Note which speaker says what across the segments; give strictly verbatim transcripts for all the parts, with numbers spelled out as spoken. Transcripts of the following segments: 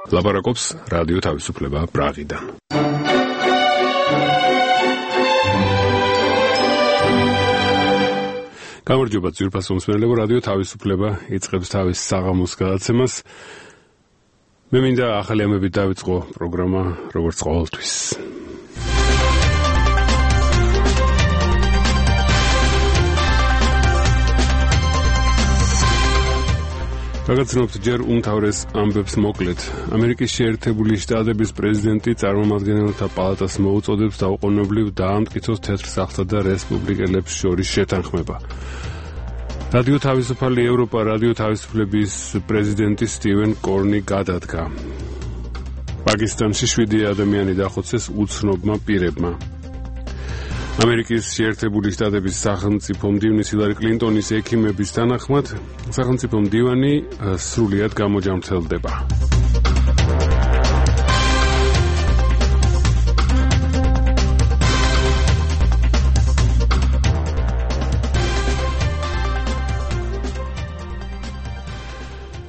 Speaker 1: ლაპარაკობს რადიო თავისუფლება პრაღიდან. გამარჯობა ძვირფასო მსმენელებო, რადიო თავისუფლება იწყებს თავის საღამოს გადაცემას. მე მინდა ახალი ამბებით დავიწყო პროგრამა როგორც ყოველთვის. გაგაცნობთ ჯერ უმთავრეს ამბებს მოკლედ. ამერიკის შეერთებული შტატების პრეზიდენტი წარმომადგენელთა პალატას მოუწოდებს დაუყოვნებლივ დაამტკიცოს თეთრ სახლსა და რესპუბლიკელებს შორის შეთანხმება. რადიო თავისუფალი ევროპა რადიო თავისუფლების პრეზიდენტი სტივენ კორნი გადადგა. პაკისტანში შვიდი ადამიანი დახოცეს უცნობმა პირებმა. ამერიკის შეერთებული შტატების სახელმწიფო მდივნის ჰილარი კლინტონის ექიმების თანახმად სახელმწიფო მდივანი სრულიად გამოჯამრთელდება.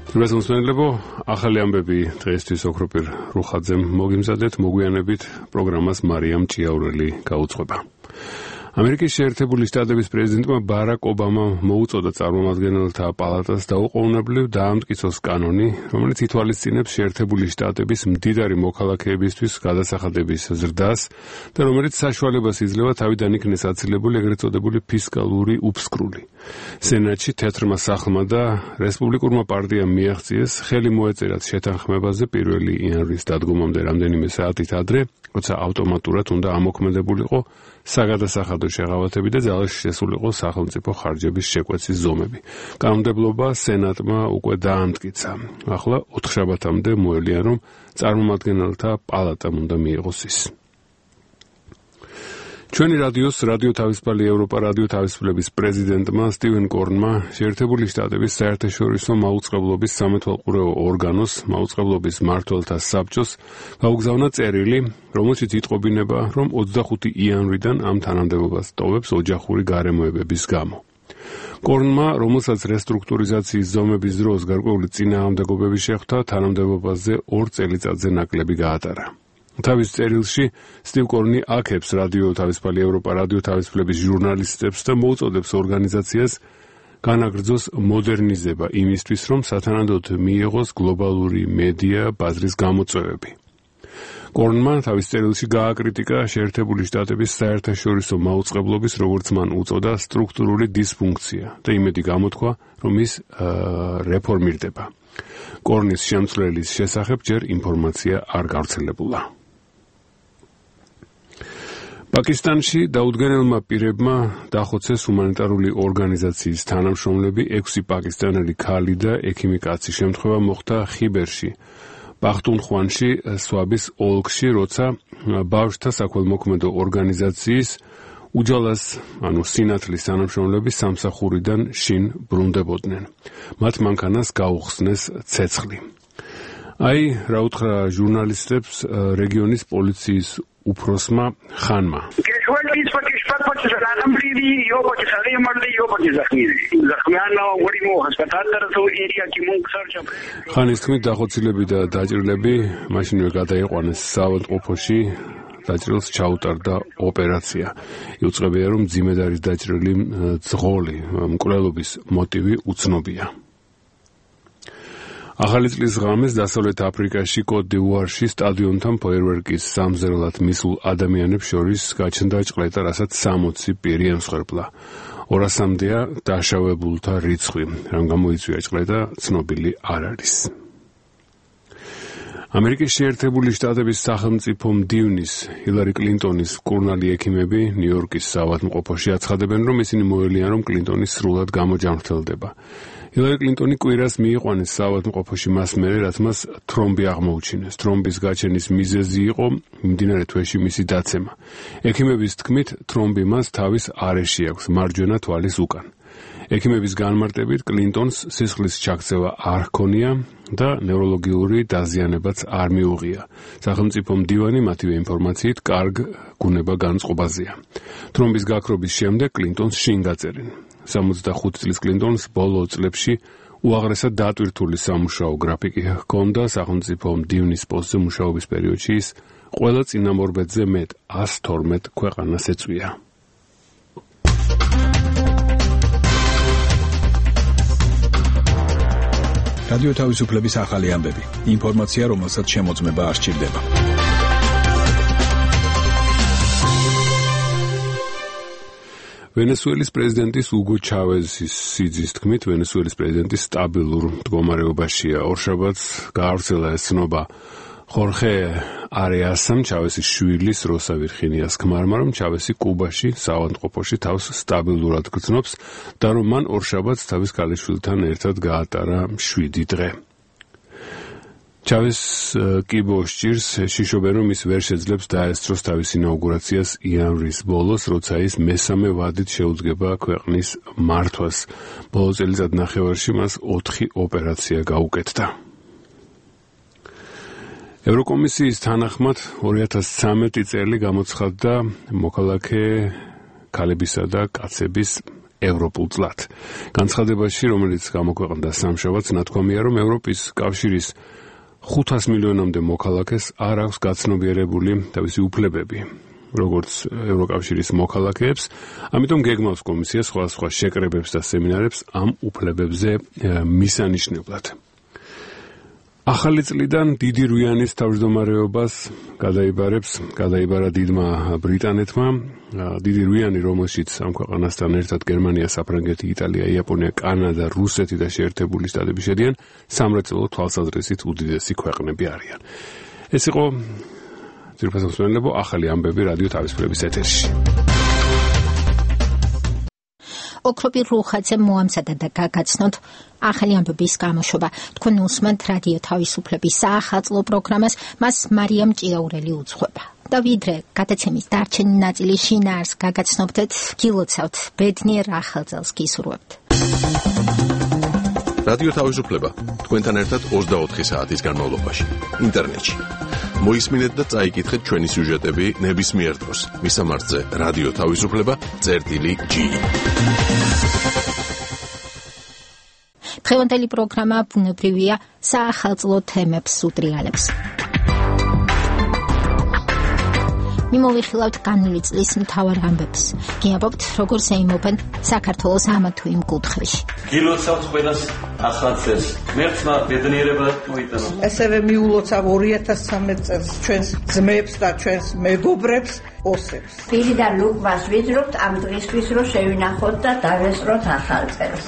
Speaker 1: ძვირფასო მსმენელებო, ახალი ამბები დღეისთვის ოქროპირ რუხაძემ მოგიმზადეთ, მოგვიანებით პროგრამას მარიამ ჭიაურელი გაუძღვება. ამერიკის შეერთებული შტატების პრეზიდენტმა ბარაკ ობამამ მოუწოდა წარმომადგენელთა პალატას დაუყოვნებლივ დაამტკიცოს კანონი, რომელიც ითვალისწინებს შეერთებული შტატების მდიდარი მოქალაქეებისთვის გადასახადების ზრდას და რომელიც საშუალებას იძლევა თავიდან იქნეს აცილებული ეგრეთ წოდებული ფისკალური უფსკრული. სენატში თეთრმა სახლმა და რესპუბლიკურმა პარტიამ მიაღწიეს ხელი მოეწერათ შეთანხმებაზე პირველი იანვრის დადგომამდე რამდენიმე საათით ადრე, როცა ავტომატურად უნდა ამოქმედებულიყო საგადასახადო შეღავათები და ძალაში შესულიყო სახელმწიფო ხარჯების შეკვეცის ზომები. კანონმდებლობა სენატმა უკვე დაამტკიცა. ახლა ოთხშაბათამდე მოელია, რომ წარმომადგენელთა პალატამ უნდა მიიღოს ის. ჩვენი რადიოს რადიო თავისუფალი ევროპა რადიო თავისუფლების პრეზიდენტმა სტივენ კორნმა შეერთებული შტატების საერთაშორისო მაუწყებლობის სამეთვალყურეო ორგანოს მაუწყებლობის მმართველთა საბჭოს გაუგზავნა წერილი, რომელშიც იტყობინება, რომ ოცდახუთი იანვრიდან ამ თანამდებობას ტოვებს ოჯახური გარემოებების გამო. კორნმა, რომელსაც რესტრუქტურიზაციის ზომების დროს გარკვეული წინააღმდეგობები შეხვდა, თანამდებობაზე ორ წელიწადზე ნაკლები გაატარა. თავის წერილში სტივ კორნი აქებს რადიო თავისუფალი ევროპა რადიო თავისუფლების ჟურნალისტებს და მოუწოდებს ორგანიზაციას განაგრძოს მოდერნიზება იმისთვის, რომ სათანადოდ მიიღოს გლობალური მედია ბაზრის გამოწვევები. კორნმა თავის წერილში გააკრიტიკა შეერთებული შტატების საერთაშორისო მაუწყებლობის, როგორც მან უწოდა, სტრუქტურული დისფუნქცია და იმედი გამოთქვა, რომ ის რეფორმირდება. კორნის შემცვლელის შესახებ ჯერ ინფორმაცია არ გავრცელებულა. პაკისტანში დაუდგენელმა პირებმა დახოცეს ჰუმანიტარული ორგანიზაციის თანამშრომლები, ექვსი პაკისტანელი ქალი და ექიმი კაცი. შემთხვევა მოხდა ხიბერში, პახტუნხვანში, სვაბის ოლქში, როცა ბავშვთა საქველმოქმედო ორგანიზაციის უჯალას, ანუ სინათლის თანამშრომლები სამსახურიდან შინ ბრუნდებოდნენ. მათ მანქანას გაუხსნეს ცეცხლი. აი, რა უთხრა ჟურნალისტებს რეგიონის პოლიციის უფროსმა ხანმა. ხანის თქმით, დახოცილები და დაჭრილები მაშინვე გადაიყვანეს საავადმყოფოში. დაჭრილს ჩაუტარდა ოპერაცია. იუწყებია, რომ მძიმედ არის დაჭრილი ძღოლი, მკვლელობის მოტივი უცნობია. ახალი წლის ღამეს დასავლეთ აფრიკაში კოტ-დ'ივუარში სტადიონთან ფოიერვერკის სამზერლად მისულ ადამიანებს შორის გაჩნდა ჭყლეტა, რასაც სამოცი პირი ემსხვერპლა. ორასამდეა დაშავებულთა რიცხვი. რამ გამოიწვია ჭყლეტა, ცნობილი არ არის. ამერიკის შეერთებული შტატების სახელმწიფო მდივნის ჰილარი კლინტონის მკურნალი ექიმები ნიუ-იორკის საავადმყოფოში აცხადებენ, რომ ისინი მოელიან, რომ კლინტონი სრულად გამოჯამრთელდება. ჰილარი კლინტონი კვირას მიიყვანეს საავადმყოფოში მას მერე, რაც მას თრომბი აღმოუჩინეს. თრომბის გაჩენის მიზეზი იყო მიმდინარე თვეში მისი დაცემა. ექიმების თქმით, თრომბი მას თავის არეში აქვს, მარჯვენა თვალის უკან. ექიმების განმარტებით, კლინტონს სისხლის ჩაქცევა არ ჰქონია და ნევროლოგიური დაზიანებაც არ მიუღია. სახელმწიფო მდივანი მათივე ინფორმაციით კარგ გუნება განწყობაზეა. თრომბის გაქრობის შემდეგ კლინტონს შინ გაწერენ. სამოცდახუთი წლის კლინტონს ბოლო წლებში უაღრესად დატვირთული სამუშაო გრაფიკი ჰქონდა სახელმწიფო მდივნის პოსტზე მუშაობის პერიოდში ის ყველა წინამორბედზე მეტ ას თორმეტ ქვეყანას ეწვია.
Speaker 2: რადიო თავისუფლების ახალი ამბები. ინფორმაცია, რომელსაც შემოწმება არ სჭირდება.
Speaker 1: ვენესუელის პრეზიდენტის უგო ჩავეზის სიძის თქმით, ვენესუელის პრეზიდენტი სტაბილურ მდგომარეობაშია. ორშაბათს გაავრცელა ეს ცნობა ხორხე არეასამ, ჩავესის შვილის როსა ვირხინიას ქმარმა, რომ ჩავესი კუბაში საავადმყოფოში თავს სტაბილურად გრძნობს და რომ მან ორშაბათს თავის ქალიშვილთან ერთად გაატარა შვიდი დღე. ჩავეს კიბო სჭირს შიშობენ, რომ ის ვერ შეძლებს დაესწროს თავის ინაუგურაციას იანვრის ბოლოს, როცა ის მესამე ვადით შეუძგება ქვეყნის მართვას. ბოლო წელიწადნახევარში მას ოთხი ოპერაცია გაუკეთდა. ევროკომისიის თანახმად ორი ათას ცხრამეტი წელი გამოცხადდა მოქალაქე ქალებისა და კაცების ევროპულ წლად. განცხადებაში, რომელიც გამოქვეყნდა სამშაბათს, ნათქვამია, რომ ევროპის კავშირის ხუთას მილიონამდე მოქალაქეს არ აქვს გაცნობიერებული თავისი უფლებები, როგორც ევროკავშირის მოქალაქეებს, ამიტომ გეგმავს კომისია სხვადასხვა შეკრებებს და სემინარებს ამ უფლებებზე მისანიშნებლად. ახალი წლიდან დიდი რუიანის თავმჯდომარეობას გადაიბარებს, გადაიბარა დიდმა ბრიტანეთმა. დიდი რუიანი, რომელშიც ამ ქვეყანასთან ერთად გერმანია, საფრანგეთი, იტალია, იაპონია, კანადა, რუსეთი და შეერთებული შტატები შედიან, სამრეწველო თვალსაზრისით უდიდესი ქვეყნები არიან. ეს იყო ძირფასო მსმენელებო ახალი ამბები რადიო თავისუფლების ეთერში.
Speaker 3: ოქროპირ რუხაძე მოამზადა და გაგაცნოთ ახალი ამბების გამოშვება. თქვენ უსმენთ რადიო თავისუფლების საახალწლო პროგრამას, მას მარიამ ჭიაურელი უძღვება. და ვიდრე გადაცემის დარჩენი ნაწილი შინაარს გაგაცნობდეთ, გილოცავთ, ბედნიერ ახალ წელს გისურვებთ.
Speaker 4: რადიო თავისუფლება თქვენთან ერთად ოცდაოთხი საათის განმავლობაში ინტერნეტში. მოისმინეთ და წაიკითხეთ ჩვენი სიუჟეტები ნებისმიერ დროს. მისამართზე რადიო თავისუფლება წერტილი ჯი.
Speaker 3: დღევანდელი პროგრამა ბუნებრივია, საახალწლო თემებს უტრიალებს. მიმოვიხილავთ განვლილი წლის მთავარ ამბებს. გიამბობთ, როგორ შეიმობენ საქართველოს ამ თუ იმ კუთხეში.
Speaker 5: გილოცავთ ყველას ახალ წელს. ღმერთმა ბედნიერება მოიტანა.
Speaker 6: ასევე მიულოცავ ორი ათას ცხრამეტ წელს ჩვენს ძმებს და ჩვენს მეგობრებს, ოსებს.
Speaker 7: პირიდან ლუკმას ვიძრობთ ამ დღისთვის, რომ შევინახოთ და დავესწროთ ახალ წელს.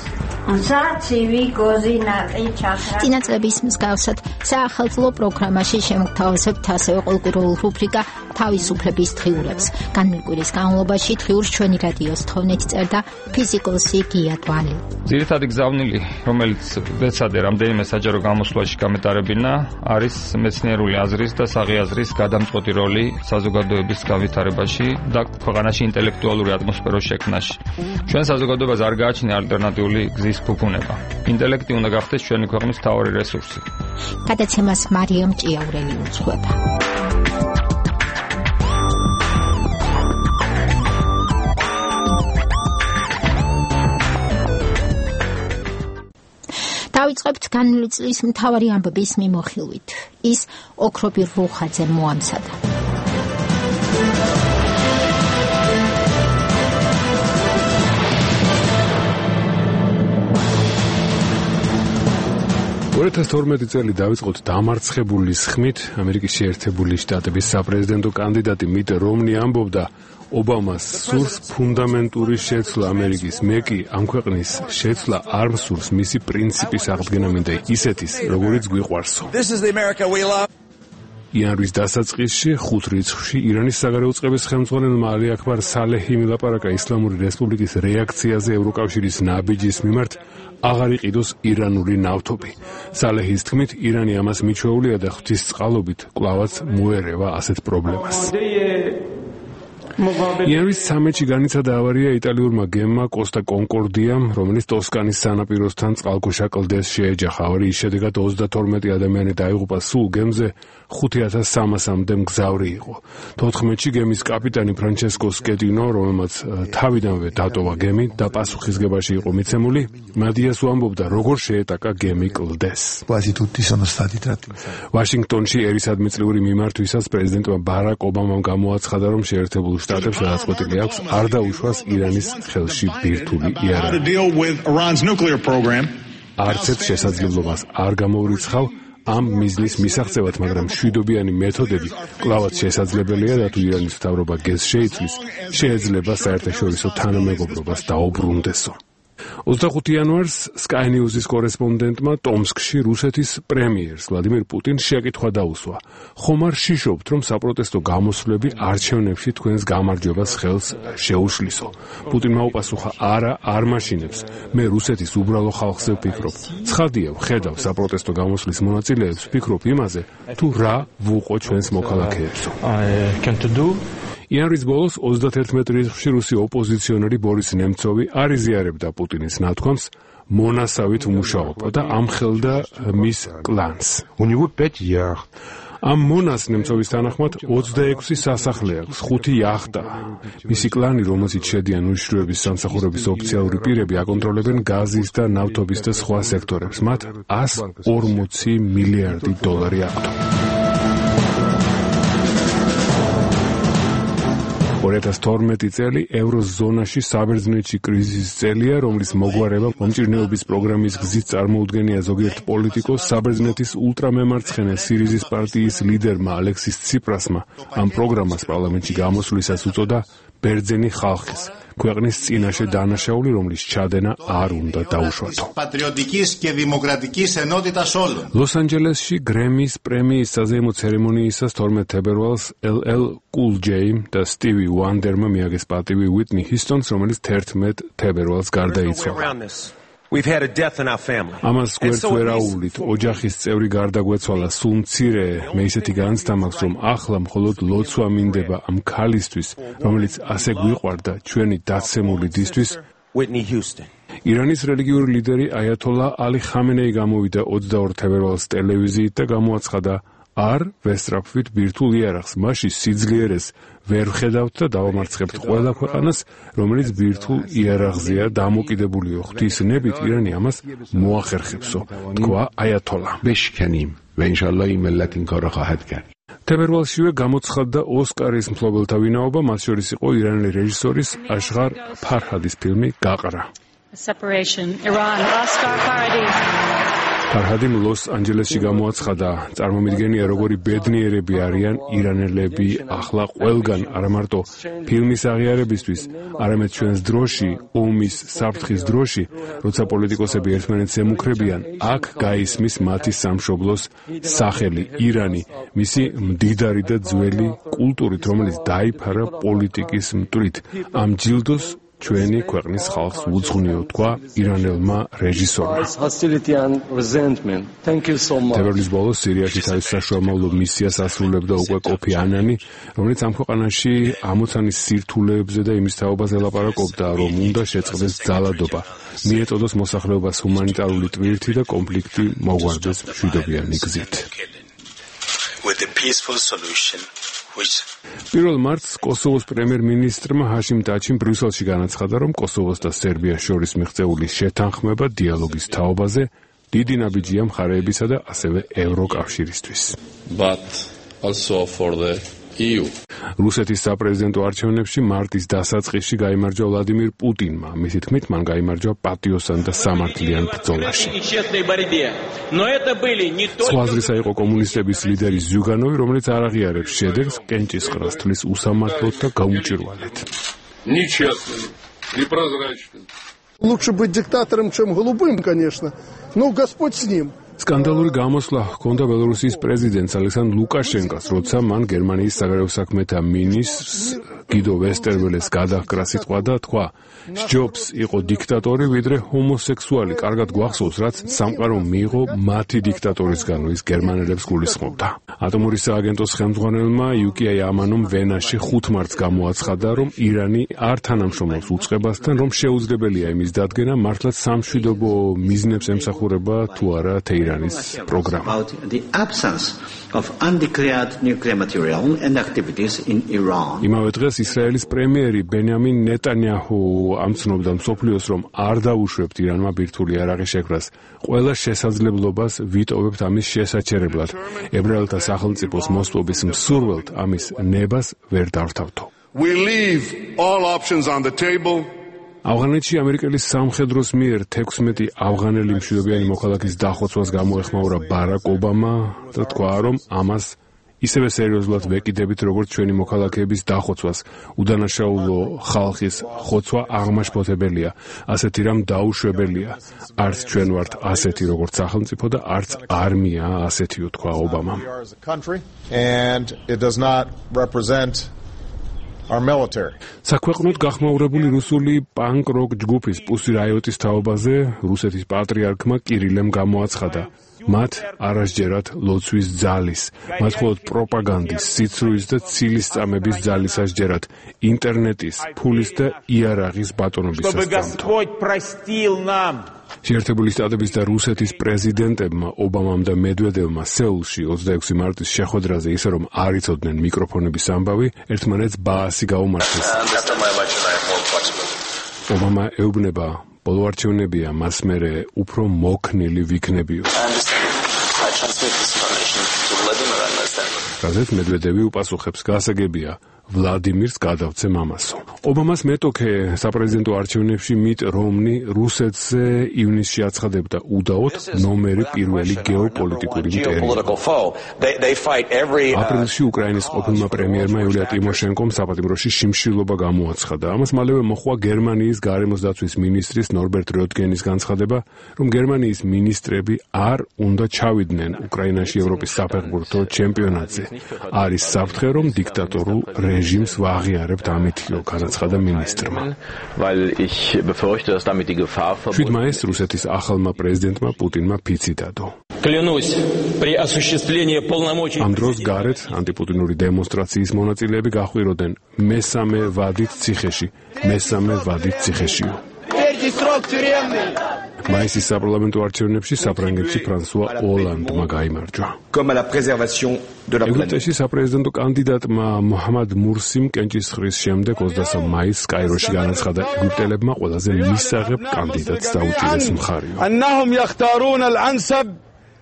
Speaker 7: ცივი გოზინაყი ჩახრა.
Speaker 3: წინაწლების მსგავსად საახალწლო პროგრამაში შემოგთავაზებთ ასევე ყოველკვირეულ რუბრიკა თავისუფლების დღიურებს. განმკვირის განმავლობაში დღიურს ჩვენი რადიოს თხოვნით წერდა ფიზიკოსი გია დვალი.
Speaker 8: ძირითადი გზავნილი, რომელიც ვეცადე რამდენიმე საჯარო გამოსვლაში გამეტარებინა, არის მეცნიერული აზრის და საღიაზრის გადამწყვეტი როლი საზოგადოების განვითარებაში და ქვეყანაში ინტელექტუალური ატმოსფეროს შექმნაში. ჩვენ საზოგადოებას არ გააჩნია ალტერნატიული გზის ფუფუნება. ინტელექტი უნდა გახდეს ჩვენი ქვეყნის მთავარი რესურსი.
Speaker 3: გადაცემას მარიამ ჭიაურელი უძღვება. დავიწყებთ განვლილი წლის მთავარი ამბების მიმოხილვით. ის ოქროპირ რუხაძე მოამზადა.
Speaker 1: ორი ათას თორმეტი წელი დავიწყოთ დამარცხებული სხმით. ამერიკის შეერთებული შტატების საპრეზიდენტო კანდიდატი მიტ რომნი ამბობდა, ობამას სურს ფუნდამენტური შეცვლა ამერიკის. მე კი ამ ქვეყნის შეცვლა არ მსურს, მისი პრინციპის აღდგენა მინდა ისეთის, როგორიც გვიყვარსო. იანვრის დასაწყისში ხუთ რიცხვში ირანის საგარეო წყების ხელმძღვანელმა ალი აქბარ სალეჰი მილაპარაკა ისლამური რესპუბლიკის რეაქციაზე ევროკავშირის ნაბიჯის მიმართ აღარ იყიდოს ირანული ნავთობი. სალეჰის თქმით, ირანი ამას მიჩვეულია და ღვთისწყალობით კვლავაც მოერევა ასეთ პრობლემას. იანვის სამეთში განიცადა ავარია იტალიურმა გემმა კოსტა კონკორდიამ, რომელიც ტოსკანის სანაპიროსთან წყალქვეშა კლდეს შეეჯახა. ავარიის შედეგად ოცდათორმეტი ადამიანი დაიღუპა, სულ გემზე ხუთი ათას სამასამდე მგზავრი იყო. თოთხმეტში გემის კაპიტანი ფრანჩესკო სკეტინო, რომელმაც თავიდანვე დატოვა გემი და პასუხისგებაში იყო მიცემული, მადიას უამბობდა, როგორ შეეტაკა გემი კლდეს. ვაშინგტონში ერისადმიწლიური მიმართვისას პრეზიდენტმა ბარაკ ობამამ გამოაცხადა, რომ შეერთებულ შტატებს გადაწყვეტილი აქვს არ დაუშვას ირანის ხელში ბირთვული იარაღი. არც ერთ შესაძლებლობას არ გამოურიცხავ ამ მიზნის მისაღწევად, მაგრამ მშვიდობიანი მეთოდები კვლავაც შესაძლებელია და თუ ირანის მთავრობა გეზს შეიცვლის, შეიძლება საერთაშორისო თანამეგობრობას დაუბრუნდესო. ოცდახუთი იანვარს Sky News-ის კორესპონდენტმა ტომსკში რუსეთის პრემიერს ვლადიმირ პუტინს შეკითხვა დაუსვა. ხომ არ შიშობთ, რომ საპროტესტო გამოსვლები არჩევნებში თქვენს გამარჯვებას ხელს შეუშლისო? პუტინმა უპასუხა, არა, არ მაშინებს. მე რუსეთის უბრალო ხალხზე ვფიქრობ. ცხადია, ვხედავ საპროტესტო გამოსვლის მონაწილეებს, ვფიქრობ იმაზე, თუ რა ვუყო ჩვენს მოქალაქეებსო. იანვრის ბოლოს ოცდაათერთმეტ რიცხვში რუსი ოპოზიციონერი ბორის ნემცოვი არ იზიარებდა პუტინის ნათქვამს, მონასავით უმუშაობა და ამხელდა მის კლანს. ამ მონას ნემცოვის თანახმად ოცდაექვსი სასახლე აქვს, ხუთი იახტა. მისი კლანი, რომელზეც შედიან უშიშროების სამსახურების ოფიციალური პირები, აკონტროლებენ გაზის და ნავთობის და სხვა სექტორებს. მათ ას ორმოცი მილიარდი დოლარი აქვთ. ორი ათას თორმეტი წელი ევროზონაში საბერძნეთში კრიზისის წელია, რომლის მოგვარება მომჭირნეობის პროგრამის გზით წარმოუდგენია ზოგიერთ პოლიტიკოს. საბერძნეთის ულტრამემარცხენე სირიზის პარტიის ლიდერმა ალექსის ციპრასმა ამ პროგრამას პარლამენტში გამოსვლისას უწოდა ბერძენი ხალხის, ქვეყნის წინაშე დანაშაული, რომლის ჩადენა არ უნდა დაუშვათო. ლოს ანჯელესში გრემის პრემიის საზეიმო ცერემონიისას თორმეტ თებერვალს ელ ელ Cool J და სტივი ვანდერმა მიაგეს პატივი უიტნი ჰისტონს, რომელიც თერთმეტ თებერვალს გარდაიცვალა. ამას გვერდს ვერ აუვლით, ოჯახის წევრი გარდაგვეცვალა, სულ მცირე, მე ისეთი განცდა მაქვს, რომ ახლა მხოლოდ ლოცვა მინდება ამ ქალისთვის, რომელიც ასე გვიყვარდა ჩვენი დაცემული დისთვის. ირანის რელიგიური ლიდერი აიათოლა ალი ხამენეი გამოვიდა ოცდაორ თებერვალს ტელევიზიით და გამოაცხადა, არ ვესწრაფვით ბირთვულ იარაღს, მასში სიძლიერეს ვერ ვხედავთ და დავამარცხებთ ყველა ქვეყანას, რომელიც ბირთვულ იარაღზეა დამოკიდებულიო. ღვთისნებით ირანი ამას მოახერხებსო, თქვა აიათოლა. თებერვალშივე გამოცხადდა ოსკარის მფლობელთა ვინაობა, მათ შორის იყო ირანელი რეჟისორის აშღარ ფარჰადის ფილმი გაყრა. ფარჰადიმ ლოს ანჯელესში გამოაცხადა, წარმომიდგენია, როგორი ბედნიერები არიან ირანელები ახლა ყველგან, არა მარტო ფილმის აღიარებისთვის, არამედ ჩვენს დროში, ომის საფრთხის დროში, როცა პოლიტიკოსები ერთმანეთს ემუქრებიან, აქ გაისმის მათი სამშობლოს სახელი, ირანი, მისი მდიდარი და ძველი კულტურით, რომელიც დაიფარა პოლიტიკის მტვრით. ამ ჯილდოს ჩვენი ქვეყნის ხალხს უძღვნიო, თქვა ირანელმა რეჟისორმა. თებერვლის ბოლოს სირიაში თავის საშუალო მისიას ასრულებდა უკვე კოფი ანანი, რომელიც ამ ქვეყანაში ამოცანის სირთულეებზე და იმის თაობაზე ლაპარაკობდა, რომ უნდა შეწყდეს ძალადობა, მიეწოდოს მოსახლეობას ჰუმანიტარული ტვირთი და კონფლიქტი მოგვარდეს მშვიდობიანი გზით. პირველ მარტს კოსოვოს პრემიერ-მინისტრმა ჰაშიმ ტაჩიმ ბრიუსელში განაცხადა, რომ კოსოვოს და სერბიას შორის მიღწეული შეთანხმება დიალოგის თაობაზე დიდი ნაბიჯია მხარეებისა და ასევე ევროკავშირისთვის. რუსეთის საპრეზიდენტო არჩევნებში მარტის დასაწყისში გაიმარჯვა ვლადიმირ პუტინმა. მისი თქმით, მან გაიმარჯვა პატიოსან და სამართლიან ბრძოლაში. სხვა აზრისა იყო კომუნისტების ლიდერი ზიუგანოვი, რომელიც არ აღიარებს შედეგს კენჭისყრას თვლის უსამართლოდ და გაუჭირვალედ.
Speaker 9: Лучше быть диктатором, чем голубым, конечно. Но Господь с ним.
Speaker 1: სკანდალური გამოსვლა ჰქონდა ბელორუსიის პრეზიდენტს ალექსანდრ ლუკაშენკოს, როცა მან გერმანიის საგარეო საქმეთა მინისტრს გიდო ვესტერველეს გადაჰკრა სიტყვა და თქვა: "სჯობს იყო დიქტატორი, ვიდრე ჰომოსექსუალი. კარგად გვახსოვს, რაც სამყარომ მიიღო მათი დიქტატორისგან, ის გერმანელებს გულისხმობდა." ატომური სააგენტოს ხელმძღვანელმა იუკია იამანომ ვენაში ხუთ მარტს გამოაცხადა, რომ ირანი არ თანამშრომლობს უწყებასთან, რომ შეუძლებელია იმის დადგენა, მართლაც სამშვიდობო მიზნებს ემსახურება თუ არა თეირანის პროგრამა.
Speaker 9: of undeclared nuclear material and activities in Iran.
Speaker 1: იმავე დღეს ისრაელის პრემიერი ბენიამინ ნეტანიაჰუ ამცნობდა მსოფლიოს, რომ არ დაუშვებთ ირანმა ბირთვული იარაღის შექმნას. ყველა შესაძლებლობას ვიტოვებთ ამის შესაჩერებლად. ებრაელთა სახელმწიფოს მოსპობის მსურველთ ამის ნებას ვერ დავრთავთო.
Speaker 10: We leave all options on the table.
Speaker 1: ავღანეთში ამერიკელის სამხედროს მიერ თექვსმეტი ავღანელი მშვიდობიანი მოქალაქის დახოცვას გამოეხმაურა ბარაკ ობამა და თქვა, რომ ამას ისევე სერიოზულად ვეკიდებით, როგორც ჩვენი მოქალაქეების დახოცვას. უდანაშაულო ხალხის ხოცვა აღმაშფოთებელია, ასეთი რამ დაუშვებელია. არც ჩვენ ვართ ასეთი, როგორც სახელმწიფო და არც არმია ასეთიო, თქვა ობამამ.
Speaker 10: And it does not represent our military.
Speaker 1: საქვეყნოდ გახმაურებული რუსული პანკ-როკ ჯგუფის პუსი რაიოტის თაობაზე რუსეთის პატრიარქმა კირილემ გამოაცხადა: მათ არასჯერად ლოცვის ძალის, მათ მხოლოდ პროპაგანდის, სიცრუის და ცილისწამების ძალის ასჯერად, ინტერნეტის, ფულის და იარაღის ბატონობისას დამთო. შეერთებული შტატების და რუსეთის პრეზიდენტებმა ობამამ და მედვედევმა სეულში ოცდაექვსი მარტის შეხვედრაზე, ისე რომ არ იცოდნენ მიკროფონების ამბავი, ერთმანეთს ბაასი გაუმართეს. ობამა ეუბნება: ბოლო არჩევნებია, მას მერე უფრო მოქნილი ვიქნებიო. რაზეც მედვედევი უპასუხებს: გასაგებია, ვლადიმირს გადავცე მამასო. ობამას მეტოქე საპრეზიდენტო არჩევნებში მიტ რომნი რუსეთზე ივნისში აცხადებდა უდაოდ ნომერი პირველი გეოპოლიტიკური მტერი. აპრილში უკრაინის ყოფილმა პრემიერმა იულია ტიმოშენკომ საპატიმროში შიმშილობა გამოაცხადა. ამას მალევე მოჰყვა გერმანიის გარემოს დაცვის მინისტრის ნორბერტ როდგენის განცხადება, რომ გერმანიის მინისტრები არ უნდა ჩავიდნენ უკრაინაში ევროპის საფეხბურთო ჩემპიონატზე. არის საფრთხე, რომ დიქტატორულ რეჟიმს ვაღიარებთ ამითიო, განაცხადა მინისტრმა. შვიდ მაისს რუსეთის ახალმა პრეზიდენტმა პუტინმა ფიცი დადო. ამ დროს გარეთ ანტიპუტინური დემონსტრაციის მონაწილეები გაჰყვიროდნენ მესამე ვადით ციხეში, მესამე ვადით ციხეშიო. მაისის საპარლამენტო არჩევნებში საფრანგეთში ფრანსუა ოლანდმა გაიმარჯვა. ეგვიპტეში საპრეზიდენტო კანდიდატმა მოჰამად მურსიმ კენჭისყრის შემდეგ ოცდასამ მაისს კაიროში განაცხადა, ეგვიპტელებმა ყველაზე მისაღებ კანდიდატს დაუჭირეს მხარიო.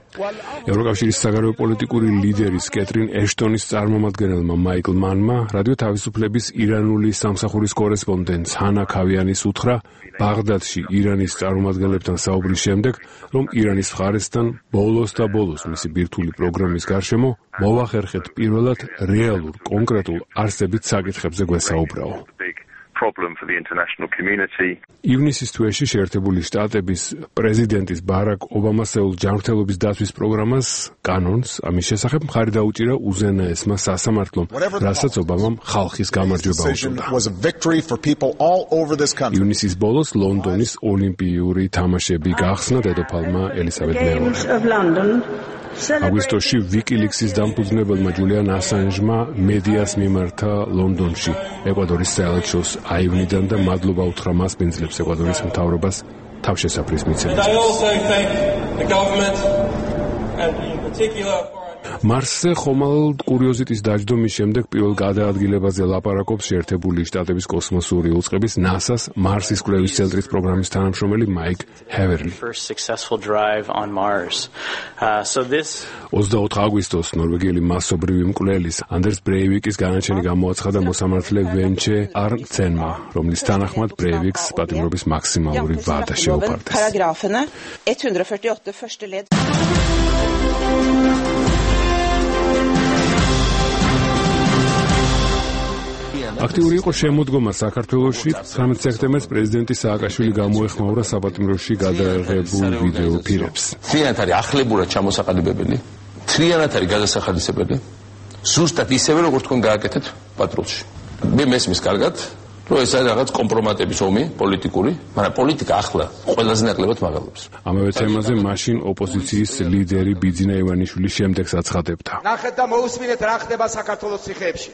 Speaker 1: ევროკავშირის საგარეო პოლიტიკური ლიდერის კეტრინ ეშტონის წარმომადგენელმა მაიკლ მანმა რადიო თავისუფლების ირანული სამსახურის კორესპონდენტ ჰანა ქავიანის უთხრა ბაღდადში ირანის წარმომადგენლებთან საუბრის შემდეგ, რომ ირანის მხარესთან ბოლოს და ბოლოს მისი ბირთვული პროგრამის გარშემო მოვახერხეთ პირველად რეალურ კონკრეტულ არსებით საკითხებზე გვესაუბრაო. ივნისის თვეში შეერთებული შტატების პრეზიდენტის ბარაკ ობამას ეულ ჯანმრთელობის დაცვის პროგრამას კანონს ამის შესახებ მხარი დაუჭირა უზენაესმა სასამართლომ, რასაც ობამამ ხალხის გამარჯვება უწოდა. ივნისის ბოლოს ლონდონის ოლიმპიური თამაშები გახსნა დედოფალმა ელისაბედ მეორე. აგვისტოში ვიკილიქსის დამფუძნებელმა ჯულიან ასანჟმა მედიას მიმართა ლონდონში ეკვადორის საელჩოს აივნიდან და მადლობა უთხრა მას პინძლებს ეკვადორის მთავრობას თავშესაფრის მიცემისთვის. მარსზე ხომალდ კურიოზიტის დაჯდომის შემდეგ პირველ გადაადგილებაზე ლაპარაკობს შეერთებული შტატების კოსმოსური უწყების ნასას მარსის კვლევის ცენტრის პროგრამის თანამშრომელი მაიკ ჰევერლი. ოცდაოთხ აგვისტოს ნორვეგიელი მასობრივი მკვლელის ანდერს ბრეივიკის განაჩენი გამოაცხადა მოსამართლე ვენჩე არნცენმა, რომლის თანახმად ბრეივიკს პატიმრობის მაქსიმალური ვადა შეუპარდეს. აქტიური იყო შემოდგომა საქართველოში. ცხრამეტ სექტემბერს პრეზიდენტი სააკაშვილი გამოეხმაურა საპატიმროში გადაღებულ ვიდეო ფილმებს.
Speaker 11: თლიანად არის ახლებურად ჩამოსაყალიბებელი, თლიანად არის გადასახადისებელი. ზუსტად ისევე როგორც თქვენ გააკეთეთ პატრულში. მე მესმის კარგად, რომ ეს არის რაღაც კომპრომატების ომი პოლიტიკური, მაგრამ პოლიტიკა ახლა ყველაზე ნაკლებად მაღალობს.
Speaker 1: ამავე თემაზე მაშინ ოპოზიციის ლიდერი ბიძინა ივანიშვილი შემდეგს აცხადებდა.
Speaker 12: ნახეთ და მოусმინეთ რა ხდება საქართველოს ციხეებში.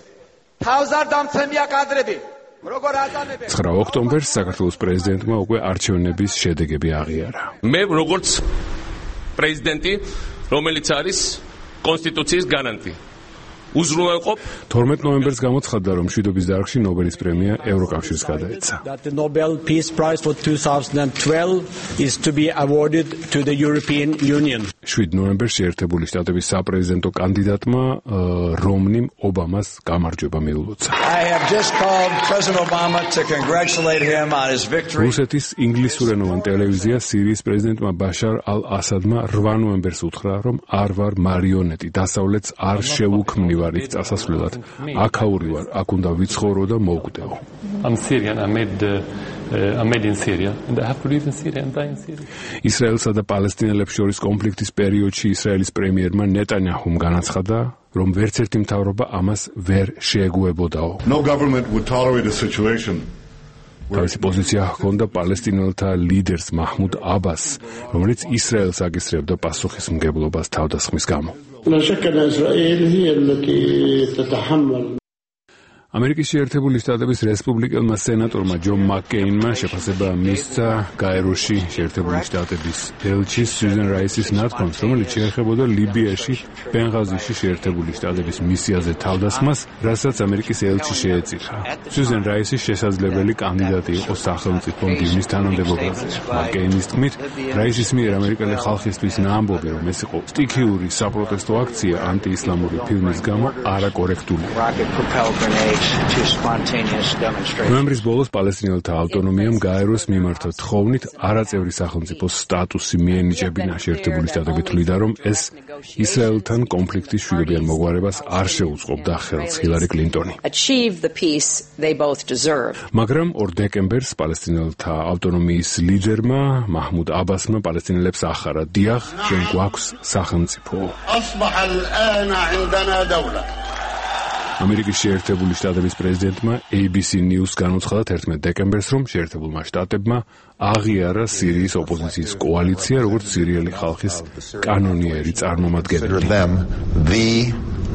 Speaker 12: თავს არ დამცემია კადრები. როგორ აწამებენ?
Speaker 1: ცხრა ოქტომბერს საქართველოს პრეზიდენტმა უკვე არჩევნების შედეგები აღიარა.
Speaker 11: მე როგორც პრეზიდენტი, რომელიც არის კონსტიტუციის გარანტი, უზრუნველყოფ
Speaker 1: თორმეტ ნოემბერს გამოცხადდა, რომ მშვიდობის დარგში ნობელის პრემია ევროკავშირს გადაეცა.
Speaker 13: That the Nobel Peace Prize for twenty twelve is to be awarded to the European Union.
Speaker 1: შვიდ ნოემბერში ერთებული შტატების საპრეზიდენტო კანდიდატმა რომნიმ ობამას გამარჯვება მიულოცა.
Speaker 14: I have just called President Obama to congratulate him on his victory.
Speaker 1: რუსეთის ინგლისურენოვან ტელევიზია სირიის პრეზიდენტმა ბაშარ ალ-ასადმა რვა ნოემბერს უთხრა, რომ არ ვარ მარიონეტი, დასავლეთს არ შევუქმნივარ ის წასასვლელად. აქაური ვარ, აქ უნდა ვიცხოვრო და მოვკვდეო.
Speaker 15: I'm Syrian. I made uh, I made in Syria and I have to live in Syria and die in Syria.
Speaker 1: ისრაელსა და პალესტინელებს შორის კონფლიქტის პერიოდში ისრაელის პრემიერმა ნეტანიაჰუმ განაცხადა, რომ ვერც ერთი მთავრობა ამას ვერ შეეგუებოდაო.
Speaker 10: No government would tolerate a situation
Speaker 1: თავისი პოზიცია ჰქონდა პალესტინელთა ლიდერს მაჰმუდ აბას, რომელიც ისრაელს აგისრებდა პასუხისმგებლობას თავდასხმის გამო.
Speaker 16: لا شك أن إسرائيل هي التي تتحمل
Speaker 1: ამერიკის შეერთებული შტატების რესპუბლიკელმა სენატორმა ჯონ მაკკეინმა შეფასება მისცა გაეროში შეერთებული შტატების ელჩის სუზან რაისის ნათქვამს, რომელიც შეეხებოდა ლიბიაში ბენღაზიში შეერთებული შტატების მისიაზე თავდასხმას, რასაც ამერიკის ელჩი შეეწირა. სუზან რაისი შესაძლებელი კანდიდატი იყო სახელმწიფო მდივნის თანამდებობაზე. მაკკეინის თქმით, რაისის მიერ ამერიკელი ხალხისთვის ნაამბობი, რომ ეს იყო სტიქიური საპროტესტო აქცია ანტიისლამური ფილმის გამო არაკორექტულია. ნოემბრის ბოლოს პალესტინელთა ავტონომიამ გაეროს მიმართა თხოვნით არაწევრი სახელმწიფოს სტატუსი მიენიჭებინა. შეერთებული შტატები თვლიდა, რომ ეს ისრაელთან კონფლიქტის მშვიდობიან მოგვარებას არ შეუწყობდა ხელს ჰილარი კლინტონი. მაგრამ ორ დეკემბერს პალესტინელთა ავტონომიის ლიდერმა მაჰმუდ აბასმა პალესტინელებს ახარა, დიახ, ჩვენ გვაქვს სახელმწიფო. ამერიკის შეერთებული შტატების პრეზიდენტმა A B C News განუცხადა თერთმეტ დეკემბერს, რომ შეერთებულმა შტატებმა აღიარა სირიის ოპოზიციის კოალიცია, როგორც სირიელი ხალხის კანონიერი წარმომადგენელი.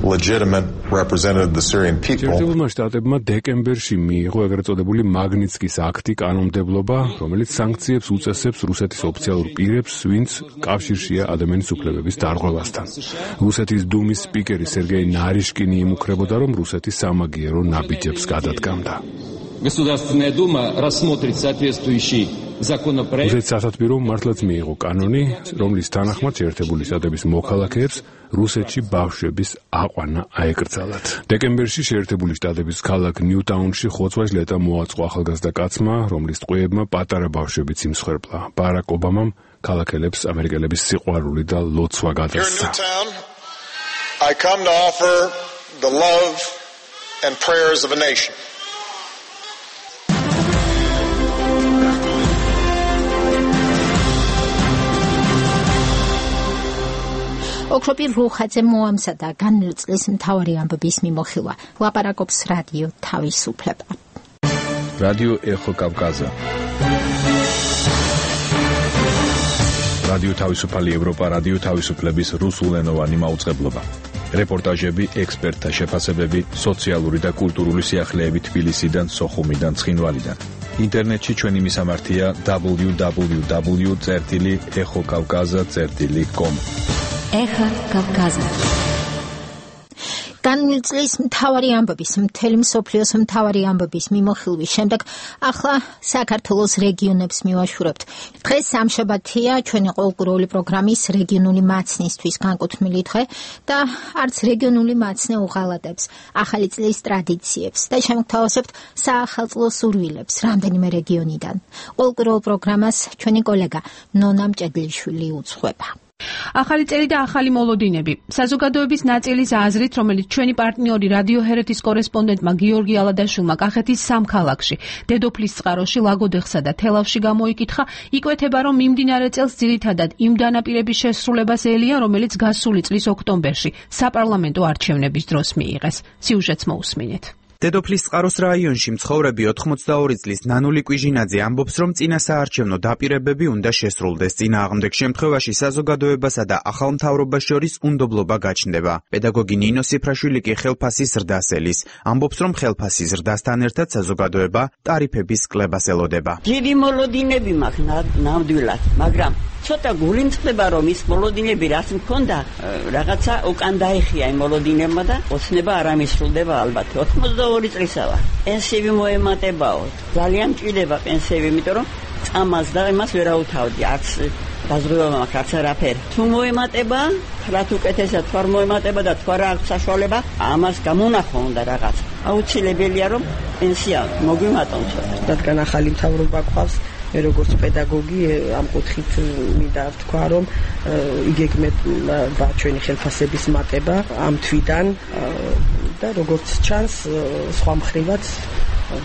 Speaker 10: legitimate represented the Syrian people.
Speaker 1: შეერთებულმა შტატებმა დეკემბერში მიიღო ეგრეთ წოდებული მაგნიცკის აქტი კანონმდებლობა, რომელიც სანქციებს უწესებს რუსეთის ოფიციალურ პირებს, ვინც კავშირშია ადამიანის უფლებების დარღვევასთან. რუსეთის დუმის სპიკერი სერგეი ნარიშკინი იმუქრებოდა, რომ რუსეთი სამაგიერო ნაბიჯებს გადადგამდა.
Speaker 17: Государственная Дума рассмотрит соответствующий законопроект.
Speaker 1: რუსეთის სასათბირო მართლაც მიიღო კანონი, რომლის თანახმად შეერთებული შტატების მოქალაქეებს რუსეთში ბავშვების აყვანა აეკრძალათ. დეკემბერში შეერთებული შტატების ქალაქ ნიუტაუნში ხოცვა-ჟლეტა მოაწყო ახალგაზრდა კაცმა, რომლის ტყვეებმა პატარა ბავშვებიც იმსხვერპლა. ბარაკ ობამამ ქალაქელებს ამერიკელების სიყვარული და ლოცვა გადასცა.
Speaker 10: I come to offer the love and prayers of a nation.
Speaker 3: ოქროპი რუხაძე მოამზადა განმწლის მთავარი ამბების მიმოხილვა. ლაპარაკობს რადიო თავისუფლება.
Speaker 2: რადიო ეხო კავკაზა. რადიო თავისუფალი ევროპა, რადიო თავისუფლების რუსულენოვანი მაუწყებლობა. რეპორტაჟები, ექსპერტთა შეფასებები, სოციალური და კულტურული სიახლეები თბილისიდან, სოხუმიდან, ცხინვალიდან. ინტერნეტში ჩვენი მისამართია double-u double-u double-u წერტილი ეხო კავკაზა წერტილი com.
Speaker 3: ეხა კავკაზა. განმწლის მთავარი ამბების, მთელი მსოფლიოს მთავარი ამბების მიმოხილვის შემდეგ ახლა საქართველოს რეგიონებს მივაშურებთ. დღეს სამშაბათია ჩვენი ყოველკვირეული პროგრამის რეგიონული მაცნისთვის განკუთვნილი დღე და არც რეგიონული მაცნე უღალატებს ახალი წლის ტრადიციებს და შემოგთავაზებთ საახალწლო სურვილებს რამდენიმე რეგიონიდან. ყოველკვირეულ პროგრამას ჩვენი კოლეგა ნონა მჭედლიშვილი უძღვება.
Speaker 18: ახალი წელი და ახალი მოლოდინები. საზოგადოების ნაწილის აზრით, რომელიც ჩვენი პარტნიორი რადიო ჰერეთის კორესპონდენტმა გიორგი ალადაშვილმა კახეთის სამ ქალაქში, დედოფლის წყაროში, ლაგოდეხსა და თელავში გამოიკითხა, იკვეთება, რომ მიმდინარე წელს ძირითადად იმ დანაპირების შესრულებას ელია, რომელიც გასული წლის ოქტომბერში საპარლამენტო არჩევნების დროს მიიღეს. სიუჟეტს მოусმინეთ.
Speaker 19: დედოფლის წყაროს რაიონში მცხოვრები ოთხმოცდაორი წლის ნანული კვიჟინაძე ამბობს, რომ წინა საარჩევნო დაპირებები უნდა შესრულდეს. წინააღმდეგ შემთხვევაში საზოგადოებასა და ახალ მთავრობას შორის უნდობლობა გაჩნდება. პედაგოგი ნინო სიფრაშვილი კი ხელფასის ზრდას ელის. ამბობს, რომ ხელფასის ზრდასთან ერთად საზოგადოება ტარიფების კლებას ელოდება.
Speaker 20: დიდი მოლოდინები მაქვს ნამდვილად, მაგრამ ცოტა გული მწყდება, რომ ის მოლოდინები რაც მქონდა, რაღაცა უკან დაიხია იმ მოლოდინებმა და ოცნება არ ამისრულდება ალბათ. ოცდაორი წლისა ვარ. პენსიები მოემატებაო. ძალიან მჭირდება პენსიები, იმიტომ რომ წამას და იმას ვერაუთავდი. არც დაზღვევა მაქვს, არც არაფერი. თუ მოემატება, რაც უკეთესად თუ არ მოემატება და თუ არ აქვს საშუალება, ამას გამონახვა უნდა რაღაც. აუცილებელია რომ პენსია მოგვიმატოს.
Speaker 6: რადგან ახალი მთავრობა გვყავს, მე როგორც პედაგოგი ამ კუთხით მინდა ვთქვა, რომ იგეგმება ჩვენი ხელფასების მატება ამ თვიდან და როგორც ჩანს, სხვა მხრივაც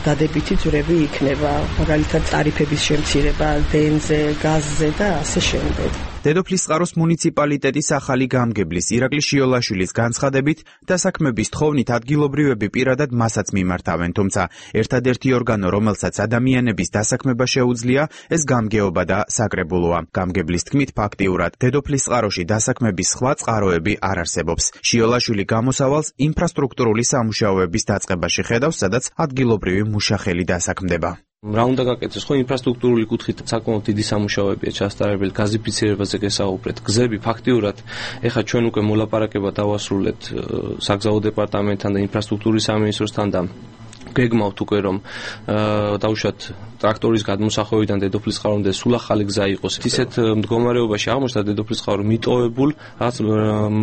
Speaker 6: დადებითი ძვრები იქნება, მაგალითად ტარიფების შემცირება დენზე, გაზზე და ასე შემდეგ.
Speaker 19: დედოფლის წყაროს მუნიციპალიტეტის ახალი გამგებლის ირაკლი შიოლაშვილის განცხადებით, დასაქმების თხოვნით ადგილობრივები პირადად მასაც მიმართავენ, თუმცა ერთადერთი ორგანო, რომელსაც ადამიანების დასაქმება შეუძლია, ეს გამგეობა და საკრებულოა. გამგებლის თქმით, ფაქტიურად დედოფლის წყაროში დასაქმების სხვა წყაროები არ არსებობს. შიოლაშვილი გამოსავალს ინფრასტრუქტურული სამუშაოების დაწყებაში ხედავს, სადაც ადგილობრივი მუშახელი დასაქმდება.
Speaker 21: რა უნდა გაკეთდეს, ხო ინფრასტრუქტურული კუთხით საკმაოდ დიდი სამუშაოებია ჩასტარებელი, გაზიფიცირებაზე გესაუბრეთ, გზები ფაქტიურად, ეხლა ჩვენ უკვე მოლაპარაკება დავასრულეთ საგზაო დეპარტამენტთან და ინფრასტრუქტურის სამინისტროსთან და გეგმავთ უკვე რომ დავუშვათ ტრაქტორის გადმოსახვევიდან დედოფლის წყარომდე სულ ახალი გზა იყოს. ისეთ მდგომარეობაში აღმოჩნდა დედოფლის წყარო მიტოვებულ რაც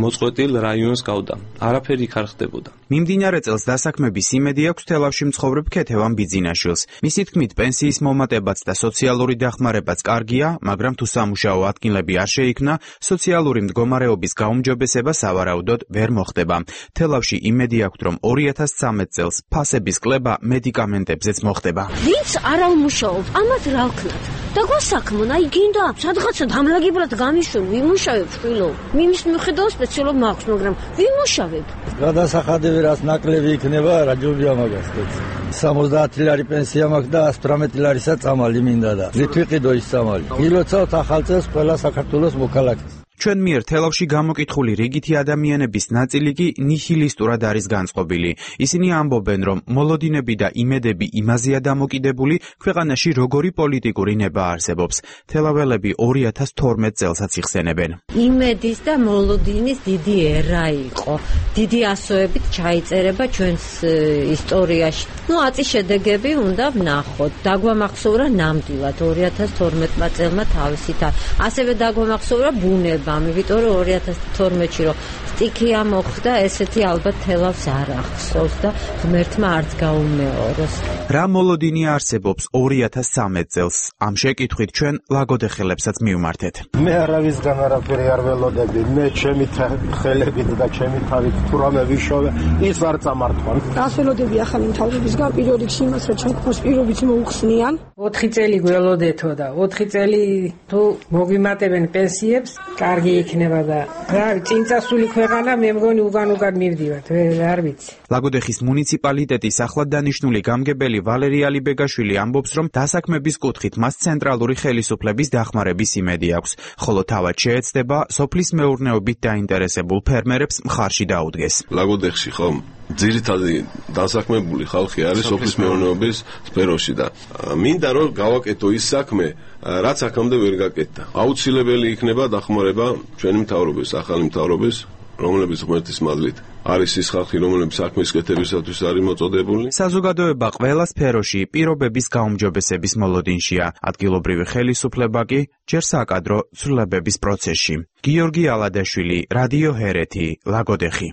Speaker 21: მოწყვეტილ რაიონს გავდა. არაფერი იქ არ ხდებოდა.
Speaker 19: მიმდინარე წელს დასაქმების იმედი აქვს თელავში მცხოვრებ ქეთევან ბიძინაშვილს. მისი თქმით, პენსიის მომატებაც და სოციალური დახმარებაც კარგია, მაგრამ თუ სამუშაო ადგილები არ შეიქმნა, სოციალური მდგომარეობის გაუმჯობესება სავარაუდოდ ვერ მოხდება. თელავში იმედი აქვს, რომ ორი ათას ცხრამეტ წელს ფასების კლება მედიკამენტებზეც მოხდება.
Speaker 22: ვინც არ მუშაობ, ამათ რა ვქნათ? და გვასაქმონ, აი გინდა, სადღაცა დამლაგებლად გამიშვენ, ვიმუშავებ შვილო. მიმის მიხედავ სპეციალურად მაქვს, მაგრამ ვიმუშავებ.
Speaker 23: გადასახადები რაც ნაკლები იქნება, რა ჯობია მაგას. სამოცდაათი ლარი პენსია მაქვს და ას თვრამეტი ლარისა წამალი მინდა და ვით ვიყიდო ის წამალი. გილოცავთ ახალ წელს ყველა საქართველოს მოქალაქეს.
Speaker 19: ჩვენ მიერ თელავში გამოკითხული რიგითი ადამიანების ნაწილი კი ნიჰილისტურად არის განწყობილი. ისინი ამბობენ, რომ მოლოდინები და იმედები იმაზეა დამოკიდებული, ქვეყანაში როგორი პოლიტიკური ნება არსებობს. თელაველები ორი ათას თორმეტ წელსაც იხსენებენ.
Speaker 22: იმედის და მოლოდინის დიდი ერა იყო. დიდი ასოებით ჩაიწერება ჩვენს ისტორიაში. ნუ აწი შედეგები უნდა ვნახოთ. დაგვამახსოვრა ნამდვილად ორი ათას თორმეტმა წელმა თავისით. ასევე დაგვამახსოვრა ბუნება. ამიტომ რომ ორი ათას თორმეტში რომ სტიქია მოხდა, ესეთი ალბათ თელავს არ ახსოვს და ღმერთმა არც გაუმეოროს.
Speaker 19: რა მოლოდინი არსებობს ორი ათას ცხრამეტ წელს? ამ შეკითხვით ჩვენ ლაგოდეხელებსაც მივმართეთ.
Speaker 16: მე არავისგან არაფერი არ ველოდები, მე ჩემი ხელებით და ჩემი თავით თუ რამე ვიშოვე, ის არ წამართვან.
Speaker 24: რას ველოდები ახალი მთავრობისგან? პირველ რიგში იმას, რომ ჩვენ გვყავს პირობით მოუხსნიან.
Speaker 25: ოთხი წელი გველოდეთო და ოთხი წელი თუ მოგვიმატებენ პენსიებს, კარგი იქნება და რა წინწასული ქვეყანა მე მგონი უგან-უგან მივდივართ, არ ვიცი.
Speaker 19: ლაგოდეხის მუნიციპალიტეტის ახლად დანიშნული გამგებელი ვალერი ალიბეგაშვილი ამბობს, რომ დასაქმების კუთხით მას ცენტრალური ხელისუფლების დახმარების იმედი აქვს, ხოლო თავად შეეცდება სოფლის მეურნეობით დაინტერესებულ ფერმერებს მხარში დაუდგეს.
Speaker 4: ლაგოდეხში ხომ ძირითადი დასაქმებული ხალხი არის სოფლის მეურნეობის სფეროში და მინდა რომ გავაკეთო ის საქმე, რაც აქამდე ვერ გაკეთდა. აუცილებელი იქნება დახმარება ჩვენი მთავრობის, ახალი მთავრობის, რომლებიც ღმერთის მადლით არის ის ხალხი, რომლებიც საქმის კეთებისათვის არის მოწოდებული.
Speaker 19: საზოგადოება ყველა სფეროში პირობების გაუმჯობესების მოლოდინშია. ადგილობრივი ხელისუფლება კი ჯერ საკადრო ცვლილებების პროცესში. გიორგი ალადაშვილი, რადიო ჰერეთი, ლაგოდეხი.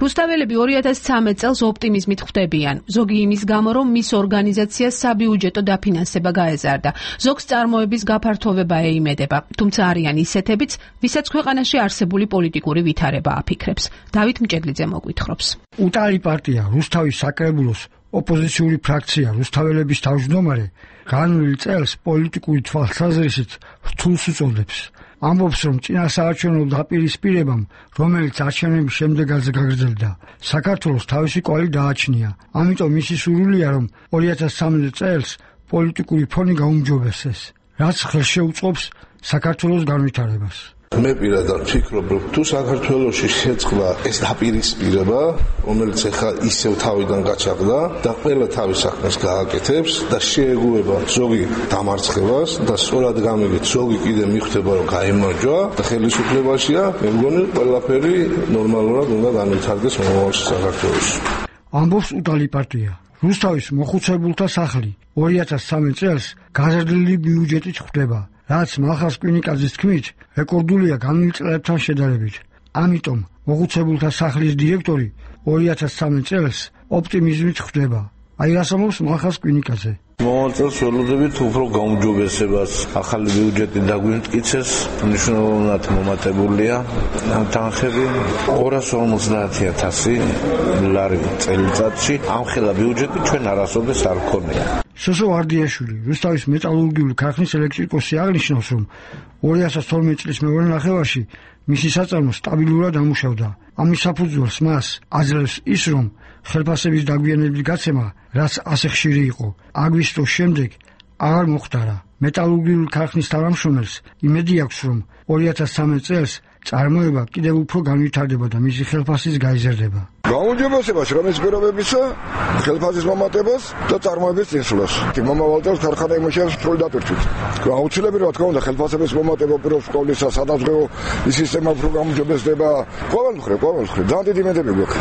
Speaker 18: რუსთაველები ორი ათას ცხრამეტ წელს ოპტიმიზმით ხვდებიან. ზოგი იმის გამო, რომ მის ორგანიზაციას საბიუჯეტო დაფინანსება გაეზარდა. ზოგს წარმოების გაფართოვება ეიმედება, თუმცა არიან ისეთებიც, ვისაც ქვეყანაში არსებული პოლიტიკური ვითარება აფიქრებს. დავით მჭედლიძე მოგვითხრობს.
Speaker 5: უტალი პარტია, რუსთავის საკრებულოს ოპოზიციური ფრაქცია, რუსთაველების თავმჯდომარე განვლილ წელს პოლიტიკური თვალსაზრისით რთულს უწოდებს. ამბობს, რომ წინასაარჩევნო დაპირისპირებამ, რომელიც არჩევნების შემდეგაც გაგრძელდა, საქართველოს თავისი კვალი დააჩნია. ამიტომ მისი სურვილია, რომ ორი ათას ცხრამეტ წელს პოლიტიკური ფონი გაუმჯობესდეს, რაც ხელშეუწყობს საქართველოს განვითარებას.
Speaker 7: მე პირადად ვფიქრობ, რომ თუ საქართველოში შეწყდა ეს დაპირისპირება, რომელიც ახლა ისევ თავიდან გაჩაღდა და ყველა თავის საქმეს გააკეთებს და შეეგუება ზოგი დამარცხებას და სწორად გამიგეთ ზოგი კიდე მიხვდება, რომ გაიმარჯვა და ხელისუფლებაშია, მე მგონი ყველაფერი ნორმალურად უნდა განვითარდეს მომავალში საქართველოში.
Speaker 5: ამბობს უტალი პარტია. რუსთავის მოხუცებულთა სახლი ორი ათას ცხრამეტ წელს გაზრდილი ბიუჯეტით ხვდება, რაც მალხაზ კვინიკაძის თქმით რეკორდულია განვლილ წლებთან შედარებით. ამიტომ მოხუცებულთა სახლის დირექტორი ორი ათას ცხრამეტ წელს ოპტიმიზმით ხვდება. აი რას ამბობს მალხაზ კვინიკაძე.
Speaker 7: მომავალ წელს ველოდებით უფრო გაუმჯობესებას, ახალი ბიუჯეტი დაგვიმტკიცეს, მნიშვნელოვნად მომატებულია თანხები ორას ორმოცდაათი ათასი ლარი წელიწადში. ამხელა ბიუჯეტი ჩვენ არასოდეს არ გქონია.
Speaker 5: სოსო ვარდიაშვილი, რუსთავის მეტალურგიული ქარხნის ელექტრიკოსი აღნიშნავს, რომ ორი ათას თორმეტ წლის მეორე ნახევარში მისი საწარმო სტაბილურად ამუშავდა. ამის საფუძველს მას აძლევს ის, რომ ხელფასების დაგვიანების გაცემა, რაც ასე ხშირი იყო, აგვისტოს შემდეგ აღარ მოხდარა. მეტალურგიული ქარხნის თავმჯდომარეს იმედი აქვს, რომ ორი ათას ცხრამეტ წელს წარმოება კიდევ უფრო განვითარდება და მისი ხელფასის გაიზარდება.
Speaker 8: გაუმჯობესებას რამის პირობებისა, ხელფასის მომატებას და წარმოების წინსვლას. მომავალ წელს ქარხანა იმუშავებს სრული დატვირთვით. აუცილებელი რა თქმა უნდა ხელფასების მომატება პირობს სკოლისა, სადაზღვევო სისტემა უფრო გაუმჯობესდება. ყოველ მხრივ, ყოველ მხრივ ძალიან დიდი იმედები გვაქვს.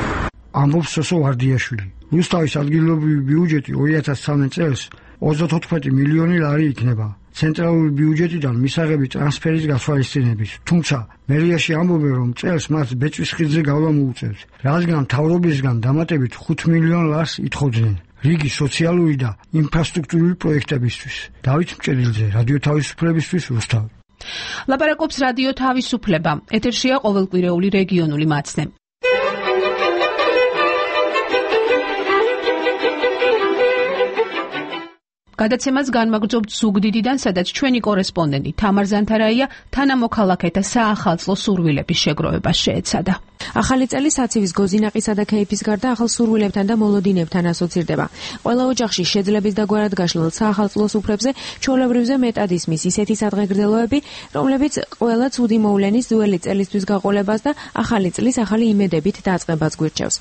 Speaker 5: ამბობს სოსო ვარდიაშვილი. რუსთავის ადგილობრივი ბიუჯეტი ორი ათას ცხრამეტ წელს ოცდათოთხმეტი მილიონი ლარი იქნება. ცენტრალური ბიუჯეტიდან მისაღები ტრანსფერის გათვალისწინებით. თუმცა მერიაში ამბობენ, რომ წელს მათ ბეწვის ხიდზე გავლა მოუწევთ, რადგან მთავრობისგან დამატებით ხუთ მილიონ ლარს ითხოვდნენ რიგი სოციალური და ინფრასტრუქტურული პროექტებისთვის. დავით მჭედლიძე, რადიო თავისუფლებისთვის, რუსთავი.
Speaker 18: ლაპარაკობს რადიო თავისუფლება. ეთერშია ყოველკვირეული რეგიონული მაცნე. გადაცემას განმაგრძობთ ზუგდიდიდან, სადაც ჩვენი კორესპონდენტი თამარ ზანთარაია თანამოქალაქეთა საახალწლო სურვილების შეგროვებას შეეცადა.
Speaker 9: ახალი წელი საცივის გოზინაყისა და ქეიფის გარდა ახალ სურვილებთან და მოლოდინებთან ასოცირდება. ყველა ოჯახში შეძლების დაგვარად გაშლილ საახალწლო სუფრებზე ჩვეულებრივზე მეტად ისმის ისეთი სადღეგრძელოები, რომლებიც ყველა ცუდი მოვლენის ძველი წელისთვის გაყოლებას და ახალი წლის ახალი იმედებით დაწყებას გვირჩევს.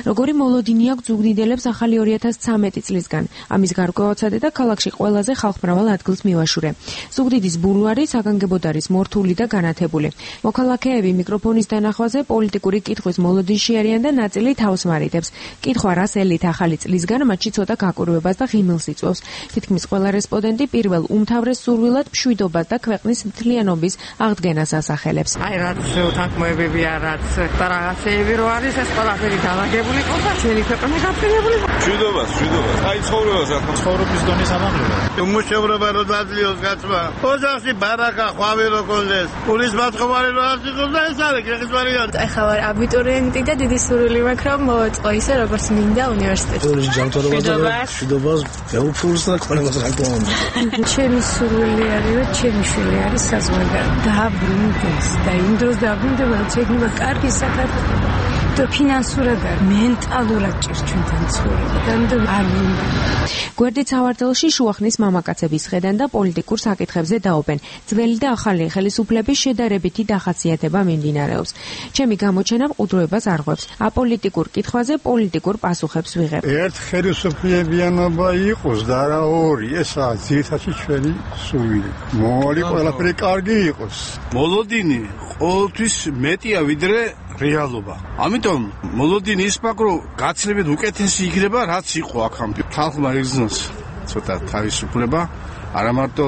Speaker 9: როგორი მოლოდინი აქვს ზუგდიდელებს ახალი ორი ათას ცხრამეტი წლისგან, ამის გარკვევაცადე და ქალაქში ყველაზე ხალხმრავალ ადგილს მივაშურე. ზუგდიდის ბულვარი საგანგებოდ არის მორთული და განათებული. მოქალაქეები მიკროფონის დანახვაზე პოლიტიკური კითხვის მოლოდინში არიან და ნაწილი თავს მარიდებს. კითხვა რას ელით ახალი წლისგან, მათში ცოტა გაკურვებას და ღიმილს იწვევს. თითქმის ყველა რესპონდენტი პირველ უმთავრეს სურვილად მშვიდობას და ქვეყნის მთლიანობის აღდგენას ასახელებს.
Speaker 12: აი რაც უთანხმოებებია, რაც და რაღაცეები რო არის, ეს ყველაფერი დაალაგებული ყო და ჩვენი ქვეყანა გაფრინებული.
Speaker 7: მშვიდობას, მშვიდობას. აი ცხოვრებას რა ცხოვრობის დონის ამაღლება.
Speaker 26: უმუშევრობა რო დაძლიოს გაცმა. ოჯახში ბარაკა, ხვავი რო კონდეს. პულის ბათხობარი რო არ იყოს და ეს არის გეხის ვარიანტი.
Speaker 27: ახლა ვარ აბიტურიენტი და დიდი სურვილი მაქვს რომ მოვაწყო ისე როგორც მინდა უნივერსიტეტში.
Speaker 26: ორი ჯანმრთელობა და მშვიდობას, ეუფულს და ყველას რა თქმა უნდა.
Speaker 27: ჩემი სურვილი არის რომ ჩემი შვილი არის საზღვარგარეთ. დააბრუნდეს და იმ დროს დააბრუნდება რომ შეიძლება კარგი საქართველო. და ფინანსურად და მენტალურად ჭირს ჩვენთან ცხოვრება და არ მინდა.
Speaker 9: გვერდით სავარდელში შუახნის მამაკაცების ხედან და პოლიტიკურ საკითხებზე დაობენ. ძველი და ახალი ხელისუფლების შედარებითი დახასიათება მიმდინარეობს. ჩემი გამოჩენა მყუდროებას არღვევს. აპოლიტიკურ კითხვაზე პოლიტიკურ პასუხებს ვიღებ.
Speaker 26: ერთ ხელისუფლებიანობა იყოს და არა ორი, ესაა ძირითადად ჩვენი სურვილი. მოვალი ყველაფერი კარგი იყოს. მოლოდინი ყოველთვის მეტია ვიდრე რეალობა. ამიტომ მოლოდინი ის ფაქტი რომ გაცილებით უკეთესი იქნება რაც იყო აქამდე. ხალხმა იგრძნოს ცოტა თავისუფლება, არა მარტო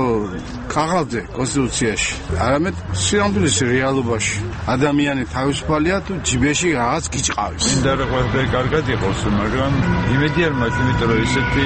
Speaker 26: ყაღალზე კონსტიტუციაში, არამედ სიამბულის რეალობაში. ადამიანი თავისუფალია თუ ჯიბეში რაღაც გიჭყავის.
Speaker 1: მინდა რომ ყველაფერი კარგად იყოს, მაგრამ იმედი არ მაქვს, იმიტომ რომ ისეთი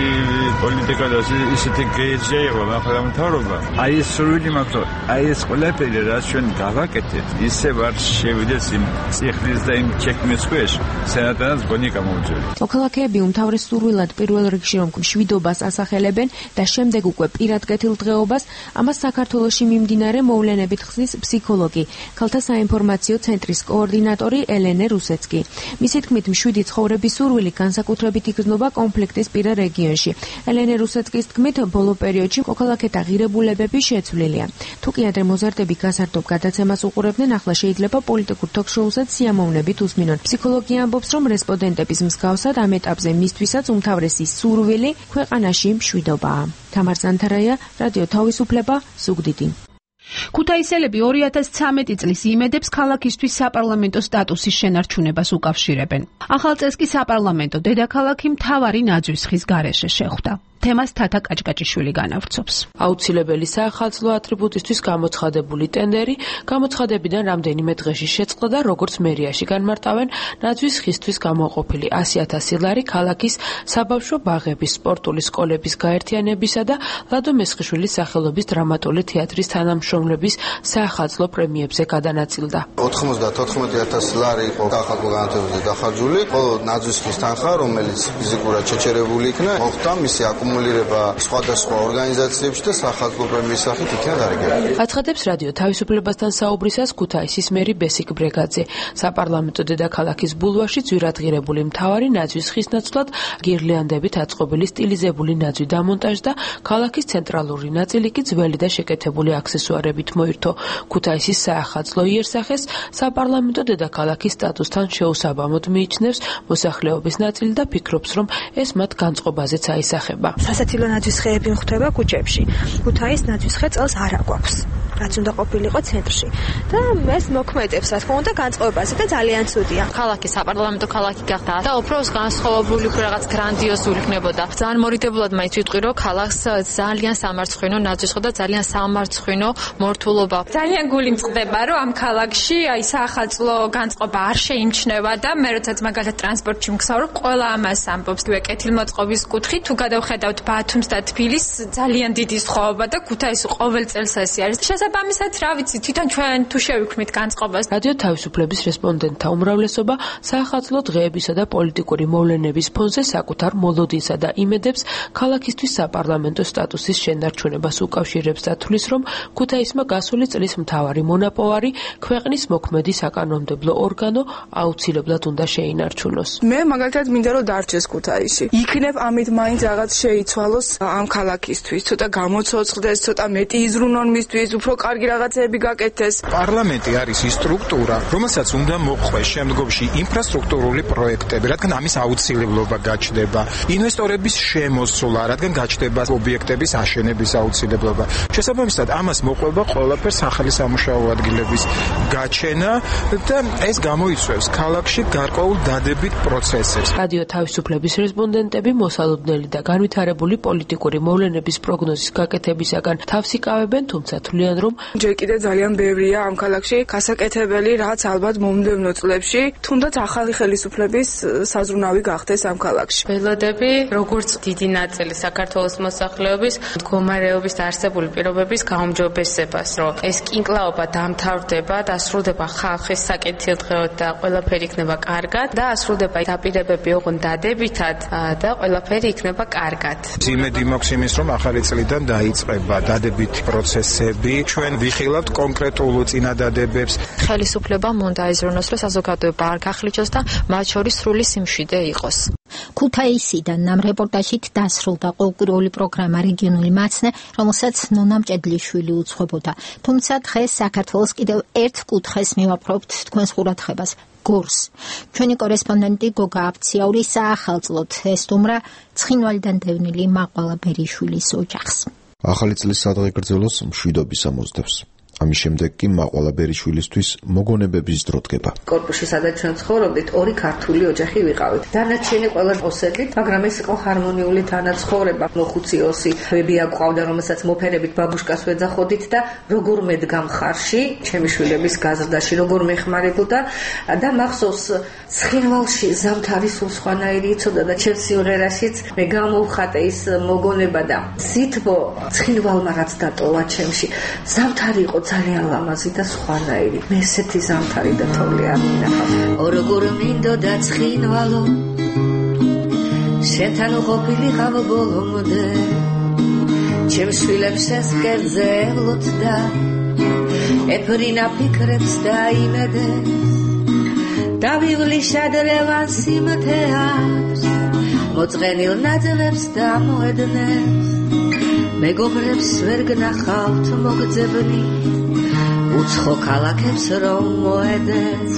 Speaker 1: პოლიტიკა და ისეთი გეიჯი იყო მახლამთავრობა. აი ეს სრული მაქვს, აი ეს ყველაფერი რაც ჩვენ გავაკეთეთ, ისევ არ შევიდეს იმ წიხლის და იმ ჩექმის ქვეშ, სენატადაც გონი გამოუწევი.
Speaker 9: მოქალაქეები უმთავრესურვილად პირველ რიგში რომ მშვიდობას ასახელებენ და შემდეგ უკვე პირად კეთილდღეობას, ამას საქართველოში მიმდინარე მოვლენებით ხსნის ფსიქოლოგი, ქალთა საინფორმაციო ცენტრის კოორდინატორი ელენე რუსეცკი. მისი თქმით, მშვიდი ცხოვრების სურვილი განსაკუთრებით იგრძნობა კონფლიქტის პირა რეგიონში. ელენე რუსეცკის თქმით, ბოლო პერიოდში მოქალაქეთა ღირებულებები შეცვლილია. თუ კი ადრე მოზარდები გასართობ გადაცემას უყურებდნენ, ახლა შეიძლება პოლიტიკურ თოქ-შოუსაც სიამოვნებით უსმინონ. ფსიქოლოგი ამბობს, რომ რესპონდენტების მსგავსად ამ ეტაპზე მისთვისაც უმთავრესი სურვილი ქვეყანაში მშვიდობაა. თამარ ზანთარაია, რადიო თავისუფლება, ზუგდიდი.
Speaker 18: ქუთაისელები ორი ათას ცხრამეტი წლის იმედებს ქალაქისთვის საპარლამენტო სტატუსის შენარჩუნებას უკავშირებენ. ახალ წელს კი საპარლამენტო დედაქალაქი მთავარი ნაძვის გარეშე შეხვდა. თემას თათა კაჭკაჭიშვილი განავრცობს.
Speaker 10: აუცილებელი საახალწლო ატრიბუტისთვის გამოცხადებული ტენდერი გამოცხადებიდან რამდენიმე დღეში შეწყდა და როგორც მერიაში განმარტავენ, ნაძვის ხისთვის გამოყოფილი ასი ათასი ლარი ქალაქის საბავშვო ბაღების, სპორტული სკოლების გაერთიანებისა და ლადო მესხიშვილის სახელობის დრამატული თეატრის თანამშრომლების საახალწლო პრემიებზე გადანაწილდა.
Speaker 11: ოთხმოცდაოთხ ათასი ლარი იყო სახალხო განათებაზე დახარჯული, ხოლო ნაძვის ხის თანხა, რომელიც ფიზიკურად შეჩერებული იქნა, მოხდა მისი აკუმულირება სხვადასხვა ორგანიზაციებში და სახალხო პრემიის სახით იქნა დარიგებული.
Speaker 10: აცხადებს რადიო თავისუფლებასთან საუბრისას ქუთაისის მერი ბესიკ ბრეგაძე. საპარლამენტო დედაქალაქის ბულვარში ძვირადღირებული მთავარი ნაძვის ხის ნაცვლად გირლანდებით აწყობილი სტილიზებული ნაძვი დამონტაჟდა, ქალაქის ცენტრალური ნაწილი კი ძველი და შეკეთებული აქსესუარებით მოირთო. ქუთაისის საახალწლო იერსახეს საპარლამენტო დედაქალაქის სტატუსთან შეუსაბამოდ მიიჩნევს მოსახლეობის ნაწილი და ფიქრობს, რომ ეს მათ განწყობაზეც აისახება.
Speaker 13: სასაცილო ნაძვის ხეები ხვდება ქუჩებში. ქუთაის ნაძვის ხე წელს არ აგვაქვს, რაც უნდა ყოფილიყო ცენტრში. და ეს მოქმედებს, რა თქმა უნდა, განწყობაზე და ძალიან ცუდია.
Speaker 14: ქალაქი საპარლამენტო ქალაქი გახდა და უფრო განსხვავებული რაღაც გრანდიოზული იქნებოდა. ძალიან მორიდებულად მაინც ვიტყვი, რომ ქალაქს ძალიან სამარცხვინო ნაძვის ხე და ძალიან სამარცხვინო მორთულობა.
Speaker 15: ძალიან გული მწყდება, რომ ამ ქალაქში აი საახალწლო განწყობა არ შეიმჩნევა და მე როდესაც მაგალითად ტრანსპორტში მგზავრობ, ყველა ამას ამბობს. კეთილმოწყობის კუთხით თუ გადავხედავთ ბათუმს და თბილისს, ძალიან დიდი სხვაობა და ქუთაისი ყოველ წელს ესე არის. შესაბამისად, რა ვიცი, თვითონ ჩვენ თუ შევიქმნით განწყობას.
Speaker 10: რადიო თავისუფლების რესპონდენტთა უმრავლესობა საახალწლო დღეებისა და პოლიტიკური მოვლენების ფონზე საკუთარ მოლოდინსა და იმედებს ქალაქისთვის საპარლამენტო სტატუსის შენარჩუნებას უკავშირებს და თვლის, რომ ქუთაისმა გასული წლის მთავარი მონაპოვარი ქვეყნის მოქმედი საკანონმდებლო ორგანო აუცილებლად უნდა შეინარჩუნოს.
Speaker 17: მე მაგალითად მინდა რომ დარჩეს ქუთაისი. იქნებ ამით მაინც რაღაც შეიცვალოს ამ ქალაქისთვის, ცოტა გამოცოცხლდეს, ცოტა მეტი იზრუნონ მისთვის, უფრო კარგი რაღაცები გაკეთდეს.
Speaker 28: პარლამენტი არის ის სტრუქტურა, რომელსაც უნდა მოყვეს შემდგომში ინფრასტრუქტურული პროექტები, რადგან ამის აუცილებლობა გაჩნდება. ინვესტორების შემოსვლა, რადგან გაჩნდება ობიექტების აშენების აუცილებლობა. შესაბამისად, ამას მოყვება ყველაფერს ახალი სამუშაო ადგილების გაჩენა და ეს გამოიწვევს ქალაქში გარკვეულ დადებით პროცესებს.
Speaker 10: რადიო თავისუფლების რესპონდენტები მოსალოდნელი და განვითარებული პოლიტიკური მოვლენების პროგნოზის გაკეთებისაგან თავს იკავებენ, თუმცა თვლიან, რომ
Speaker 17: ჯერ კიდევ ძალიან ბევრია ამ ქალაქში გასაკეთებელი, რაც ალბათ მომდევნო წლებში თუნდაც ახალი ხელისუფლების საზრუნავი გახდეს ამ ქალაქში.
Speaker 14: ველოდები, როგორც დიდი ნაწილი საქართველოს მოსახლეობის მდგომარეობის და არსებული პირობების გაუმჯობესებას, რომ ეს კინკლაობა დამთავრდება, დასრულდება ხალხის საკეთილდღეოდ და ყველაფერი იქნება კარგად და ასრულდება დაპირებები ოღონდ დადებითად და ყველაფერი იქნება კარგად.
Speaker 28: იმედი მაქვს იმის, რომ ახალი წლიდან დაიწყება დადებითი პროცესები. ჩვენ ვიხილავთ კონკრეტულ წინადადებებს.
Speaker 14: ხელისუფლებამ უნდა იზრუნოს, რომ საზოგადოება არ გახლიჩოს და მათ შორის სრული სიმშვიდე იყოს.
Speaker 3: ქუთაისიდან ამ რეპორტაჟით დასრულდა ყოველკვირეული პროგრამა რეგიონული მაცნე, რომელსაც ნონა მჭედლიშვილი უძღვებოდა. თუმცა დღეს საქართველოს კიდევ ერთ კუთხეს მივაპყრობთ თქვენს ყურადღებას. გორს. ჩვენი კორესპონდენტი გოგა აფციაური საახალწლოდ ესტუმრა ცხინვალიდან დევნილი მაყვალა ბერიშვილის ოჯახს.
Speaker 29: ახალი წლის სადღეგრძელოს მშვიდობის ამოწდებს.
Speaker 2: ამის შემდეგ კი მაყვალა ბერიშვილისთვის მოგონებების დრო დგება.
Speaker 6: კორპუსში სადაც ჩვენ ცხოვრობდით, ორი ქართული ოჯახი ვიყავით. დანარჩენი ყველა ოსებით, მაგრამ ეს იყო ჰარმონიული თანაცხოვრება. მოხუცი ოსი ბებია გვყავდა, რომელსაც მოფერებით ბაბუშკას ვეძახოდით და როგორ მედგა მხარში, ჩემი შვილების გაზრდაში, როგორ მეხმარებოდა და მახსოვს ცხინვალში ზამთარი სულ სხვანაირი იცოდა და ჩემს სიმღერაშიც მე გამოვხატე ის მოგონება და სითბო ცხინვალმა რაც დატოვა ჩემში. ზამთარი იყო ძალიან ლამაზი და სხვანაირი. მე ესეთი ზამთარი და თოვლი არ მინახავს. როგორ მინდოდა ცხინვალო შენთან ყოფილიყავ ბოლომდე ჩემს შვილებს ეს კერძე ელოთდა ეფრინა ფიქრებს და იმედეს დავივლი შადრევან სიმთეას მოწყენილ ნაძლებს და მოედნებს მეგობრებს ვერ გნახავთ მოგძებნი უცხო ქალაქებს რომ მოედეს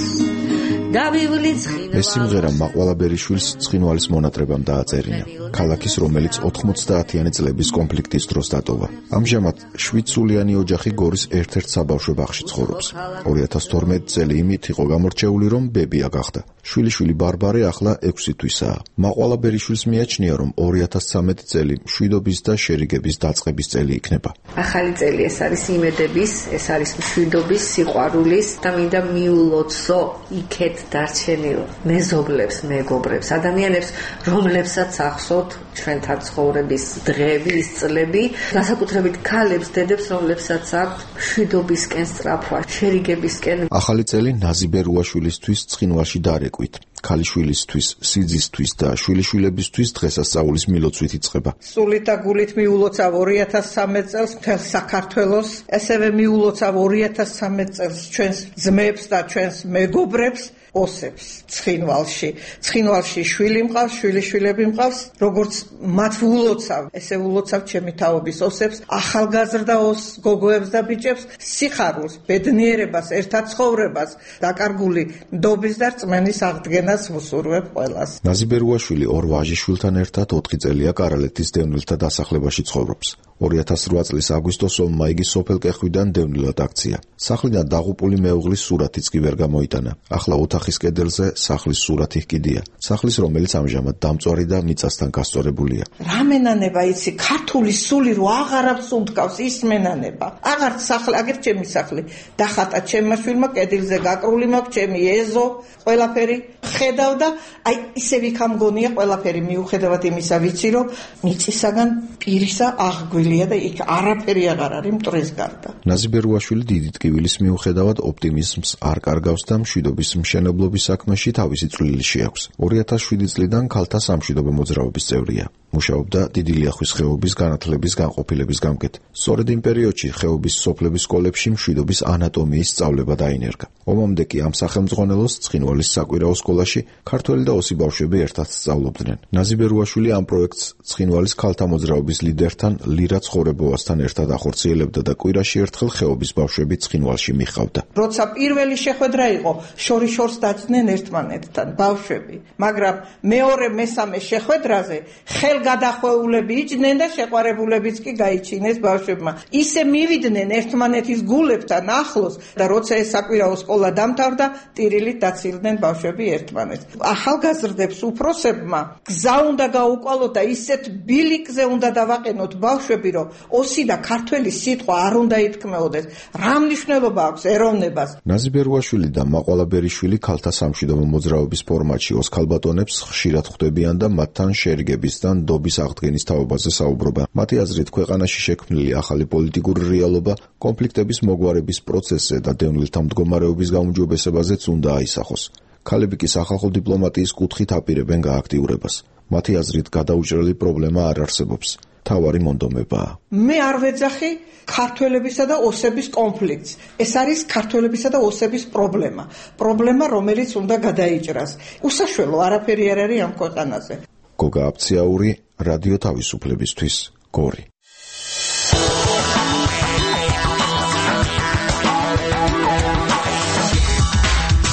Speaker 6: დავივლი
Speaker 2: ეს სიმღერა მაყვალა ბერიშვილს ცხინვალის მონატრებამ დააწერინა. ქალაქის, რომელიც ოთხმოცდაათიანი წლების კონფლიქტის დროს დატოვა. ამჟამად შვიდსულიანი ოჯახი გორის ერთ-ერთ საბავშვო ბაღში ცხოვრობს. ორი ათას თორმეტი წელი იმით იყო გამორჩეული, რომ ბებია გახდა. შვილიშვილი ბარბარე ახლა ექვსი თვისაა. მაყვალა ბერიშვილს მიაჩნია, რომ ორი ათას ცხრამეტი წელი მშვიდობის და შერიგების დაწყების წელი იქნება.
Speaker 6: ახალი წელი ეს არის იმედების, ეს არის მშვიდობის, სიყვარულის და მინდა მიულოცო იქეთ დარჩენილ მეზობლებს, მეგობრებს, ადამიანებს, რომლებსაც ახსოვთ ჩვენთან ცხოვრების დღეები, ის წლები, განსაკუთრებით ქალებს, დედებს, რომლებსაც აქვთ მშვიდობისკენ სწრაფვა, შერიგებისკენ.
Speaker 2: ახალი წელი ნაზიბე რუაშვილისთვის ცხინვალში დარეკვით. ქალიშვილისთვის, სიძისთვის და შვილიშვილებისთვის დღესასწაულის მილოცვით იწყება.
Speaker 16: სულით და გულით მიულოცავ ორი ათას ცხრამეტ წელს მთელ საქართველოს, ესევე მიულოცავ ორი ათას ცხრამეტ წელს ჩვენს ძმებს და ჩვენს მეგობრებს, ოსებს ცხინვალში. ცხინვალში შვილი მყავს, შვილიშვილები მყავს, როგორც მათ ვულოცავ, ესე ვულოცავ ჩემი თაობის ოსებს, ახალგაზრდა ოს გოგოებს და ბიჭებს, სიხარულს, ბედნიერებას, ერთად ცხოვრებას, დაკარგული ნდობის და რწმენის აღდგენას ვუსურვებ ყველას.
Speaker 2: ნაზიბე რუაშვილი ორ ვაჟიშვილთან ერთად ოთხი წელია კარალეთის დევნილთა დასახლებაში ცხოვრობს. ორი ათას რვა წლის აგვისტოს-ომმა იგი სოფელ კეხვიდან დევნილად აქცია. სახლიდან დაღუპული მეუღლის სურათიც კი ვერ გამოიტანა. ახლა ოთახის კედელზე სახლის სურათი ჰკიდია. სახლის, რომელიც ამჟამად დამწვარი და მიწასთან გასწორებულია.
Speaker 16: რა მენანება იცი, ქართული სული რო აღარავს უნდკავს ის მენანება. აღარ სახლი, აგერ ჩემი სახლი. დახატა ჩემმა შვილმა კედელზე გაკრული მაქვს ჩემი ეზო, ყველაფერი ხედავ და აი ისე ვიქამგონია ყველაფერი მიუხედავად იმისა ვიცი რომ მიწისაგან პირისა აღგვილია და იქ არაფერი აღარ არის მტრის გარდა.
Speaker 2: ნაზიბე რუაშვილი დიდი ტკივილის მიუხედავად ოპტიმიზმს არ კარგავს და მშვიდობის მშენებლობის საქმეში თავისი წვლილი შეაქვს. ორი ათას შვიდი წლიდან ქალთა სამშვიდობო მოძრაობის წევრია. მუშაობდა დიდი ლიახვის ხეობის განათლების განყოფილების გამგედ. სწორედ იმ პერიოდში ხეობის სოფლების სკოლებში მშვიდობის ანატომიის სწავლება დაინერგა. ომამდე კი ამ სახელმძღვანელოს ცხინვალის საკვირაო სკოლაში ქართველი და ოსი ბავშვები ერთად სწავლობდნენ. ნაზიბე რუაშვილი ამ პროექტს ცხინვალის ქალთა მოძრაობის ლიდერთან ლირა ცხოვრებოვასთან ერთად ახორციელებდა და კვირაში ერთხელ ხეობის ბავშვები ცხინვალში მიჰყავდა.
Speaker 16: როცა პირველი შეხვედრა იყო, შორიშორს დაძდნენ ერთმანეთთან ბავშვები, მაგრამ მეორე მესამე შეხვედრაზე ხელ გადახვეულები იჯდნენ და შეყვარებულებიც კი გაიჩინეს ბავშვებმა. ისე მივიდნენ ერთმანეთის გულებთან ახლოს და როცა ეს საკვირაო სკოლა დამთავრდა, ტირილით დაცილდნენ ბავშვები ერთმანეთს. ახალგაზრდებს უფროსებმა გზა უნდა გაუკვალოთ და ისეთ ბილიკზე უნდა დავაყენოთ ბავშვები, რომ ოსი და ქართველი სიტყვა არ უნდა ითქმეოდეს. რა მნიშვნელობა აქვს ეროვნებას?
Speaker 2: ნაზიბე რუაშვილი და მაყვალა ბერიშვილი ქალთა სამშვიდობო მოძრაობის ფორმატში ოს ქალბატონებს ხშირად ხვდებიან და მათთან შერიგების და ნდობის აღდგენის თაობაზე საუბრობენ. მათი აზრით, ქვეყანაში შექმნილი ახალი პოლიტიკური რეალობა კონფლიქტების მოგვარების პროცესზე და დევნილთა მდგომარეობის გაუმჯობესებაზეც უნდა აისახოს. ქალები კი სახალხო დიპლომატიის კუთხით აპირებენ გააქტიურებას. მათი აზრით, გადაუჭრელი პრობლემა არ არსებობს. თავარი მონდომებაა.
Speaker 16: მე არ ვეძახი ქართველებისა და ოსების კონფლიქტს. ეს არის ქართველებისა და ოსების პრობლემა. პრობლემა, რომელიც უნდა გადაიჭრას. უსაშველო არაფერი არ არის ამ ქვეყანაზე.
Speaker 2: გოგა აფციაური, რადიო თავისუფლებისთვის, გორი.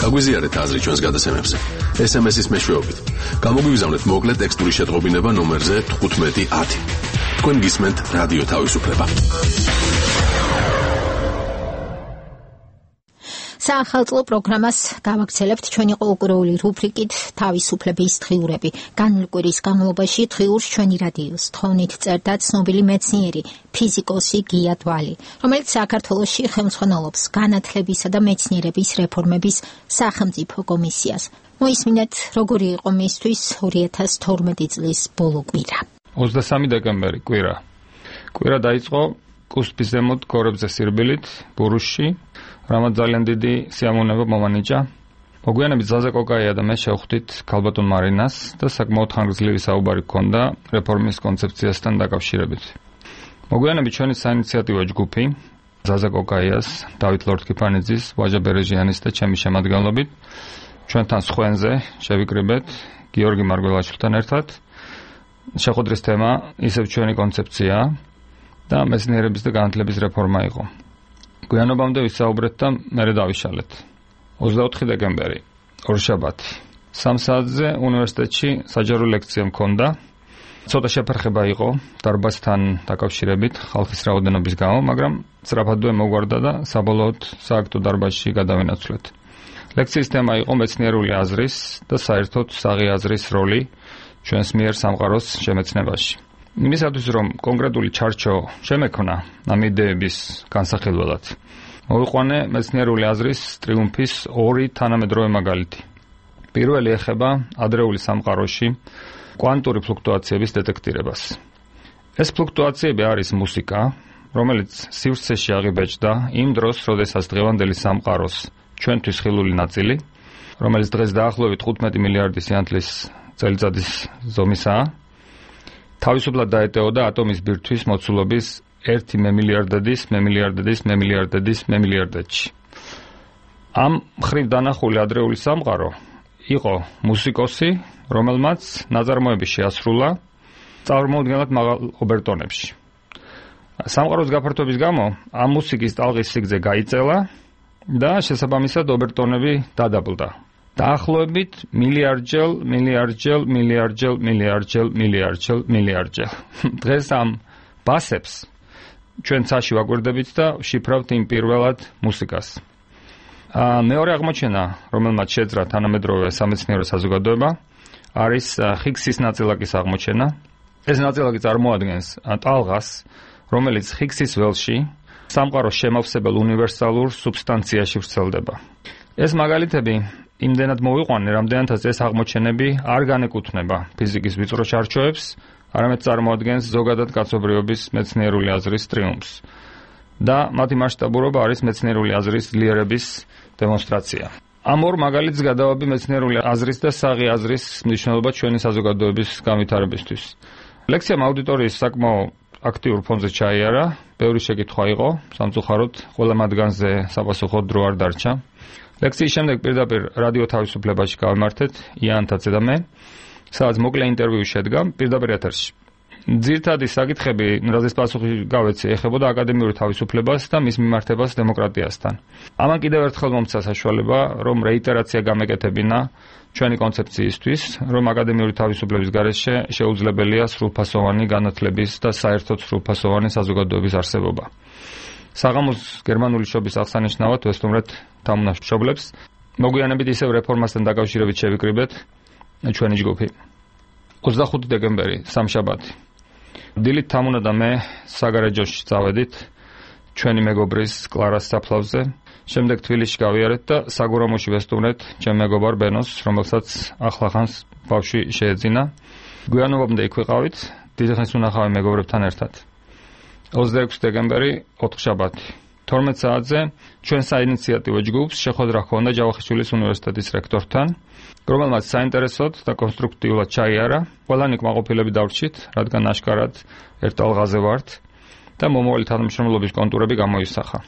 Speaker 4: გაგვიზიარეთ აზრი ჩვენს გადაცემებზე. ეს ემ ეს-ის მეშვეობით. გამოგვიგზავნეთ მოკლე ტექსტური შეტყობინება ნომერზე თხუთმეტი ათი. თქვენ გისმენთ რადიო თავისუფლება.
Speaker 3: საახალწლო პროგრამას გავაგრძელებთ ჩვენი ყოველკვირეული რუბრიკით თავისუფლების დღიურები. განვლი კვირის განმავლობაში დღიურს ჩვენი რადიოს თხოვნით წერდა ცნობილი მეცნიერი, ფიზიკოსი გია დვალი, რომელიც საქართველოში ხელმძღვანელობს განათლებისა და მეცნიერების რეფორმების სახელმწიფო კომისიას. მოისმინეთ, როგორი იყო მისთვის ორი ათას თორმეტი წლის ბოლო კვირა.
Speaker 8: ოცდასამი დეკემბერი კვირა. კვირა დაიწყო კუსპის ზემოთ გორებზე სირბილით, ბურუსში, რამაც ძალიან დიდი სიამოვნება მომანიჭა. მოგვიანებით ზაზა კოკაია და მე შევხვდით ქალბატონ მარინას და საკმაოდ ხანგრძლივი საუბარი ჰქონდა რეფორმის კონცეფციასთან დაკავშირებით. მოგვიანებით ჩვენი საინიციატივო ჯგუფი ზაზა კოკაიას, დავით ლორთქიფანიძის, ვაჟა ბერეჟიანის და ჩემი შემადგენლობით ჩვენთან სხვენზე შევიკრიბეთ გიორგი მარგველაშვილთან ერთად. შეხვედრის თემა ისევ ჩვენი კონცეფცია და მეცნიერების და განათლების რეფორმა იყო. გვიანობამდე ვისაუბრეთ და მერე დავიშალეთ. ოცდაოთხი დეკემბერი, ორშაბათი. სამ საათზე უნივერსიტეტში საჯარო ლექცია მქონდა. ცოტა შეფერხება იყო დარბაზთან დაკავშირებით ხალხის რაოდენობის გამო, მაგრამ სწრაფადვე მოგვარდა და საბოლოოდ სააქტო დარბაზში გადავინაცვლეთ. ლექციის თემა იყო მეცნიერული აზრის და საერთოდ საღი აზრის როლი ჩვენს მიერ სამყაროს შემეცნებაში. იმისათვის, რომ კონკრეტული ჩარჩო შემექმნა ამ იდეების განსახილველად, მოვიყვანე მეცნიერული აზრის ტრიუმფის ორი თანამედროვე მაგალითი. პირველი ეხება ადრეული სამყაროში კვანტური ფლუქტუაციების დეტექტირებას. ეს ფლუქტუაციები არის მუსიკა, რომელიც სივრცეში აღიბეჭდა იმ დროს, როდესაც დღევანდელი სამყაროს ჩვენთვის ხილული ნაწილი, რომელიც დღეს დაახლოებით თხუთმეტი მილიარდი სინათლის წელიწადის ზომისაა, თავისუფლად დაეტეოდა ატომის ბირთვის მოცულობის ერთი მემილიარდედის, მემილიარდედის, მემილიარდედის, მემილიარდეთში. ამ მხრივ დანახული ადრეული სამყარო იყო მუსიკოსი, რომელმაც ნაწარმოები შეასრულა წარმოუდგენლად მაღალ ობერტონებში. სამყაროს გაფართოების გამო ამ მუსიკის ტალღის სიგრძე გაიწელა და შესაბამისად ობერტონები დადაბლდა. დაახლოებით მილიარდჯერ, მილიარდჯერ, მილიარდჯერ, მილიარდჯერ, მილიარდჯერ, მილიარდჯერ. დღეს ამ ბასებს ჩვენ ცაში ვაკვირდებით და ვშიფრავთ იმ პირველად მუსიკას. მეორე აღმოჩენა, რომელმაც შეძრა თანამედროვე სამეცნიერო საზოგადოება, არის ჰიგსის ნაწილაკის აღმოჩენა. ეს ნაწილაკი წარმოადგენს ტალღას, რომელიც ჰიგსის ველში სამყაროს შემავსებელ უნივერსალურ სუბსტანციაში ვრცელდება. ეს მაგალითები იმდენად მოვიყვანე, რამდენადაც ეს აღმოჩენები არ განეკუთვნება ფიზიკის ვიწრო ჩარჩოებს, არამედ წარმოადგენს ზოგადად კაცობრიობის მეცნიერული აზრის ტრიუმფს. და მათი მასშტაბურობა არის მეცნიერული აზრის ძლიერების დემონსტრაცია. ამ ორ მაგალითს გადავაბი მეცნიერული აზრის და საღი აზრის მნიშვნელობა ჩვენი საზოგადოების განვითარებისთვის. ლექციამ აუდიტორიის საკმაო აქტიურ ფონზე ჩაიარა, ბევრი შეკითხვა იყო, სამწუხაროდ ყველა მათგანზე საპასუხოდ დრო არ დარჩა. ლექციის შემდეგ პირდაპირ რადიო თავისუფლებაში გავიმართეთ იანთაცე და მე, სადაც მოკლე ინტერვიუ შედგა პირდაპირ ეთერში. ძირითადი საკითხები, რაზეც პასუხი გავეცი, ეხებოდა აკადემიური თავისუფლებას და მის მიმართებას დემოკრატიასთან. ამან კიდევ ერთხელ მომცა საშუალება, რომ რეიტერაცია გამეკეთებინა ჩვენი კონცეფციისთვის, რომ აკადემიური თავისუფლების გარეშე შეუძლებელია სრულფასოვანი განათლების და საერთოდ სრულფასოვანი საზოგადოების არსებობა. საღამოს გერმანული შობის აღსანიშნავად ვესტუმრეთ თამუნაშობლებს. მოგვიანებით ისევ რეფორმასთან დაკავშირებით შევიკრიბეთ ჩვენი ჯგუფი. ოცდახუთი დეკემბერი, სამშაბათი. დილით თამუნა და მე საგარეჯოში წავედით ჩვენი მეგობრის კლარას საფლავზე. შემდეგ თბილისში გავიარეთ და საგურამოში ვესტუმრეთ ჩემ მეგობარ ბენოს, რომელსაც ახლახანს ბავშვი შეეძინა. გვიანობამდე იქ ვიყავით, დიდი ხნის უნახავი მეგობრებთან ერთად. ოცდაექვსი დეკემბერი, ოთხშაბათი. თორმეტ საათზე ჩვენ საინიციატივო ჯგუფს შეხვედრა ჰქონდა ჯავახიშვილის უნივერსიტეტის რექტორთან, რომელმაც საინტერესოდ და კონსტრუქტიულად ჩაიარა. ყველანი კმაყოფილები დავრჩით, რადგან აშკარად ერთ ტალღაზე ვართ და მომავალი თანამშრომლობის კონტურები გამოისახა.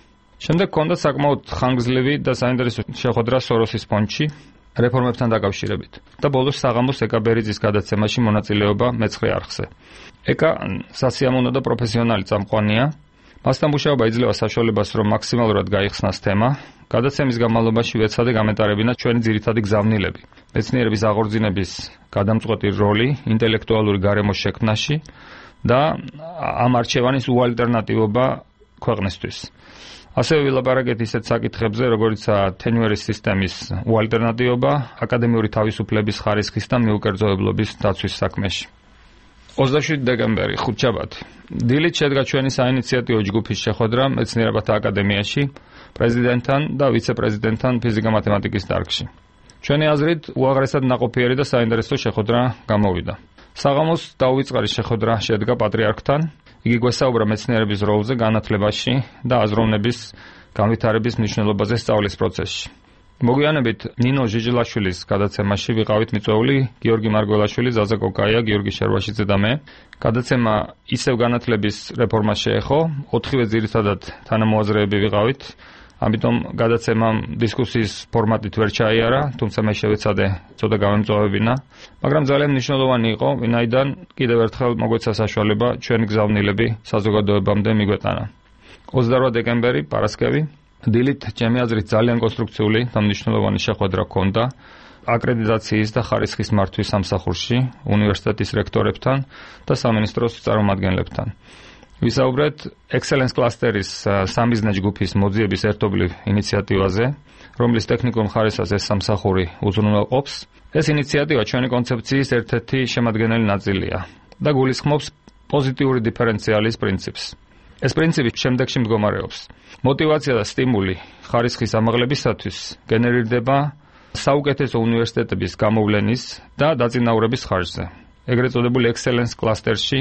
Speaker 8: შემდეგ ჰქონდა საკმაოდ ხანგრძლივი და საინტერესო შეხვედრა სოროსის ფონდში რეფორმებთან დაკავშირებით და ბოლოს საღამოს ეკა ბერიძის გადაცემაში მონაწილეობა მეცხრე არხზე. ეკა სასიამოვნო და პროფესიონალი წამყვანია. მასთან მუშაობა იძლევა საშუალებას, რომ მაქსიმალურად გაიხსნას თემა. გადაცემის განმავლობაში ვეცადე გამეტარებინა ჩვენი ძირითადი გზავნილები, მეცნიერების აღორძინების გადამწყვეტი როლი ინტელექტუალური გარემოს შექმნაში და ამ არჩევანის უალტერნატივობა ქვეყნისთვის. ასევე ვილაპარაკეთ ისეთ საკითხებზე, როგორიცაა თენვერის სისტემის უალტერნატივობა, აკადემიური თავისუფლების ხარისხის და მიუკერძოებლობის დაცვის საქმეში. ოცდაშვიდი დეკემბერი, ხუთშაბათი. დილით შედგა ჩვენი საინიციატივო ჯგუფის შეხვედრა მეცნიერებათა აკადემიაში, პრეზიდენტთან და ვიცე-პრეზიდენტთან ფიზიკა-მათემატიკის დარგში. ჩვენი აზრით, უაღრესად ნაყოფიერი და საინტერესო შეხვედრა გამოვიდა. საღამოს დაუვიწყარი შეხვედრა შედგა პატრიარქთან. იგი გვესაუბრა მეცნიერების როლზე განათლებაში და აზროვნების განვითარების მნიშვნელობაზე სწავლის პროცესში. მოგვიანებით ნინო ჟიჟილაშვილის გადაცემაში ვიყავით მიწვეული გიორგი მარგველაშვილი, ზაზა კოკაია, გიორგი შერვაშიძე და მე. გადაცემა ისევ განათლების რეფორმას შეეხო, ოთხივე ძირითადად თანამოაზრეები ვიყავით. ამიტომ გადაცემამ დისკუსიის ფორმატით ვერ ჩაიარა, თუმცა მე შევეცადე ცოტა გამემწვევებინა, მაგრამ ძალიან მნიშვნელოვანი იყო, ვინაიდან კიდევ ერთხელ მოგვეცა საშუალება ჩვენი გზავნილები საზოგადოებამდე მიგვეტანა. ოცდაოთხი დეკემბერი, პარასკევი. დილით ჩემი აზრით ძალიან კონსტრუქციული და მნიშვნელოვანი შეხვედრა ჰქონდა აკრედიტაციის და ხარისხის მართვის სამსახურში უნივერსიტეტის რექტორებთან და სამინისტროს წარმომადგენლებთან. ვისაუბრეთ Excellence Cluster-ის სამიზნე ჯგუფის მოძიების ერთობლივ ინიციატივაზე, რომლის ტექნიკურ მხარესას ეს სამსახური უზრუნველყოფს. ეს ინიციატივა ჩვენი კონცეფციის ერთ-ერთი შემადგენელი ნაწილია და გულისხმობს პოზიტიური დიფერენციალის პრინციპს. ეს პრინციპი შემდეგში მდგომარეობს. მოტივაცია და სტიმული ხარისხის ამაღლებისათვის გენერირდება საუკეთესო უნივერსიტეტების გამოვლენის და დაწინაურების ხარჯზე, ეგრეთ წოდებული Excellence Cluster-ში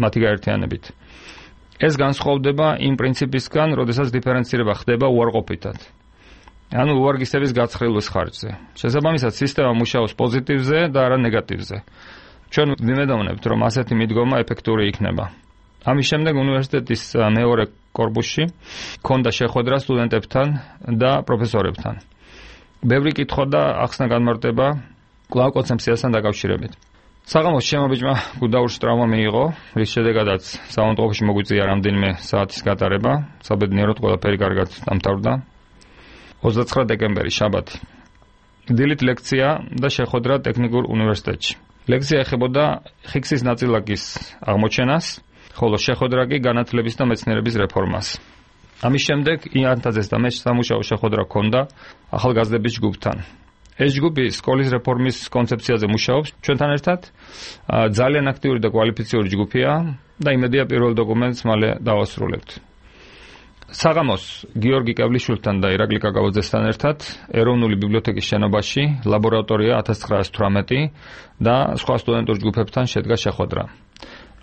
Speaker 8: მათი გაერთიანებით. ეს განსხვავდება იმ პრინციპისგან, როდესაც დიფერენცირება ხდება უარყოფითად. ანუ უვარგისების გაცხრილვის ხარჯზე. შესაბამისად, სისტემა მუშაობს პოზიტივზე და არა ნეგატივზე. ჩვენ ვიმედოვნებთ, რომ ასეთი მიდგომა ეფექტური იქნება. ამის შემდეგ უნივერსიტეტის მეორე კორპუსში ჰქონდა შეხვედრა სტუდენტებთან და პროფესორებთან. ბევრი კითხვა და ახსნა განმარტება კვლავ კონცეფციასთან დაკავშირებით. საღამოს შემობიჭმა გუდაურში ტრავმა მიიღო, რის შედეგადაც საავადმყოფოში მოგვიწია რამდენიმე საათის გატარება, საბედნიეროდ ყველაფერი კარგად დამთავრდა. ოცდაცხრა დეკემბერი, შაბათი. დილით ლექცია და შეხვედრა ტექნიკურ უნივერსიტეტში. ლექცია ეხებოდა ხიქსის ნაწილაკის აღმოჩენას, ხოლო შეხვედრა კი განათლების და მეცნიერების რეფორმას. ამის შემდეგ იანთაძეს და მე სამუშაო შეხვედრა ჰქონდა ახალგაზრდების ჯგუფთან. ეს ჯგუფი სკოლის რეფორმის კონცეფციაზე მუშაობს ჩვენთან ერთად. ძალიან აქტიური და კვალიფიციური ჯგუფია და იმედია პირველ დოკუმენტს მალე დავასრულებთ. საღამოს გიორგი კებლიშვილთან და ირაკლი კაკავაძესთან ერთად ეროვნული ბიბლიოთეკის შენობაში ლაბორატორია ათას ცხრაას თვრამეტი და სხვა სტუდენტურ ჯგუფებთან შედგა შეხვედრა.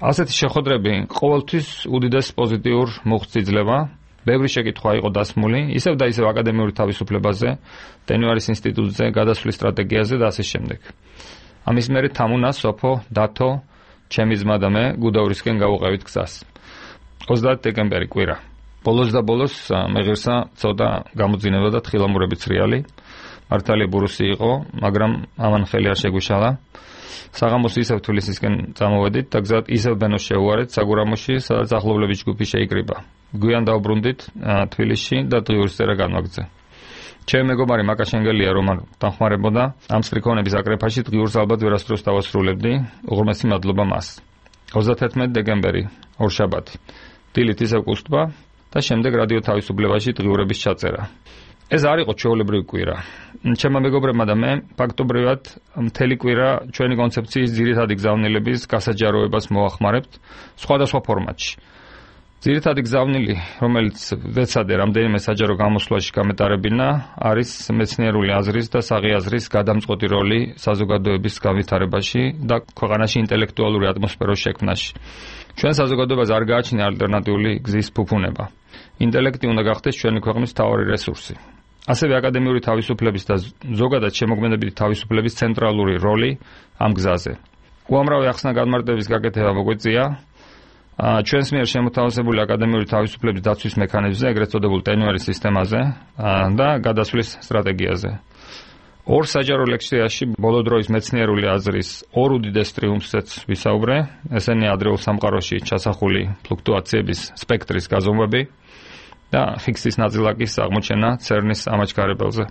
Speaker 8: ასეთი შეხვედრები ყოველთვის უდიდეს პოზიტიურ მუხტს იძლევა. ბევრი შეკითხვა იყო დასმული, ისევ და ისევ აკადემიური თავისუფლებაზე, ტენვარის ინსტიტუტზე, გადასვლის სტრატეგიაზე და ასე შემდეგ. ამის მერე თამუნა, სოფო, დათო, ჩემი ძმა და მე გუდაურისკენ გავუყევით გზას. ოცდაათი დეკემბერი, კვირა. ბოლოს და ბოლოს მე ღირსა ცოტა გამოძინება და თხილამურებით სრიალი. მართალია ბურუსი იყო, მაგრამ ამან ხელი არ შეგვიშალა. საღამოს ისევ თბილისისკენ წამოვედით და გზად ისევ ბენოს შევუარეთ საგურამოში, სადაც ახლობლების ჯგუფი შეიკრიბა. გვიან დავბრუნდით თბილისში და დღიურის წერა განვაგრძე. ჩემი მეგობარი მაკა შენგელია რომ არ დახმარებოდა ამ სტრიქონების აკრეფაში დღიურს ალბათ ვერასდროს დავასრულებდი, უღრმესი მადლობა მას. ოცდათერთმეტი დეკემბერი, ორშაბათი. დილით ისევ კუსტბა და შემდეგ რადიო თავისუფლებაში დღიურების ჩაწერა. ეს არ იყო ჩვეულებრივი კვირა. ჩემმა მეგობრებმა და მე ფაქტობრივად მთელი კვირა ჩვენი კონცეფციის ძირითადი გზავნილების გასაჯაროებას მოახმარებთ სხვადასხვა ფორმატში. ძირითადი გზავნილი, რომელიც ვეცადე რამდენიმე საჯარო გამოსვლაში გამეტარებინა, არის მეცნიერული აზრის და საღიაზრის გადამწყვეტი როლი საზოგადოების განვითარებაში და ქვეყანაში ინტელექტუალური ატმოსფეროს შექმნაში. ჩვენ საზოგადოებას არ გააჩნია ალტერნატიული გზის ფუფუნება. ინტელექტი უნდა გახდეს ჩვენი ქვეყნის მთავარი რესურსი. ასევე აკადემიური თავისუფლების და ზოგადად შემოქმედებითი თავისუფლების ცენტრალური როლი ამ გზაზე. უამრავი ახსნა განმარტების გაკეთება მოგვეწია ჩვენს მიერ შემოთავაზებული აკადემიური თავისუფლების დაცვის მექანიზმზე, ეგრეთ წოდებულ ტენვარის სისტემაზე და გადასვლის სტრატეგიაზე. ორ საჯარო ლექციაში ბოლო დროის მეცნიერული აზრის ორ უდიდეს ტრიუმფსაც ვისაუბრე, ესენია ადრეულ სამყაროში ჩასახული ფლუქტუაციების სპექტრის გაზომვები და ჰიგსის ნაწილაკის აღმოჩენა ცერნის ამაჩქარებელზე.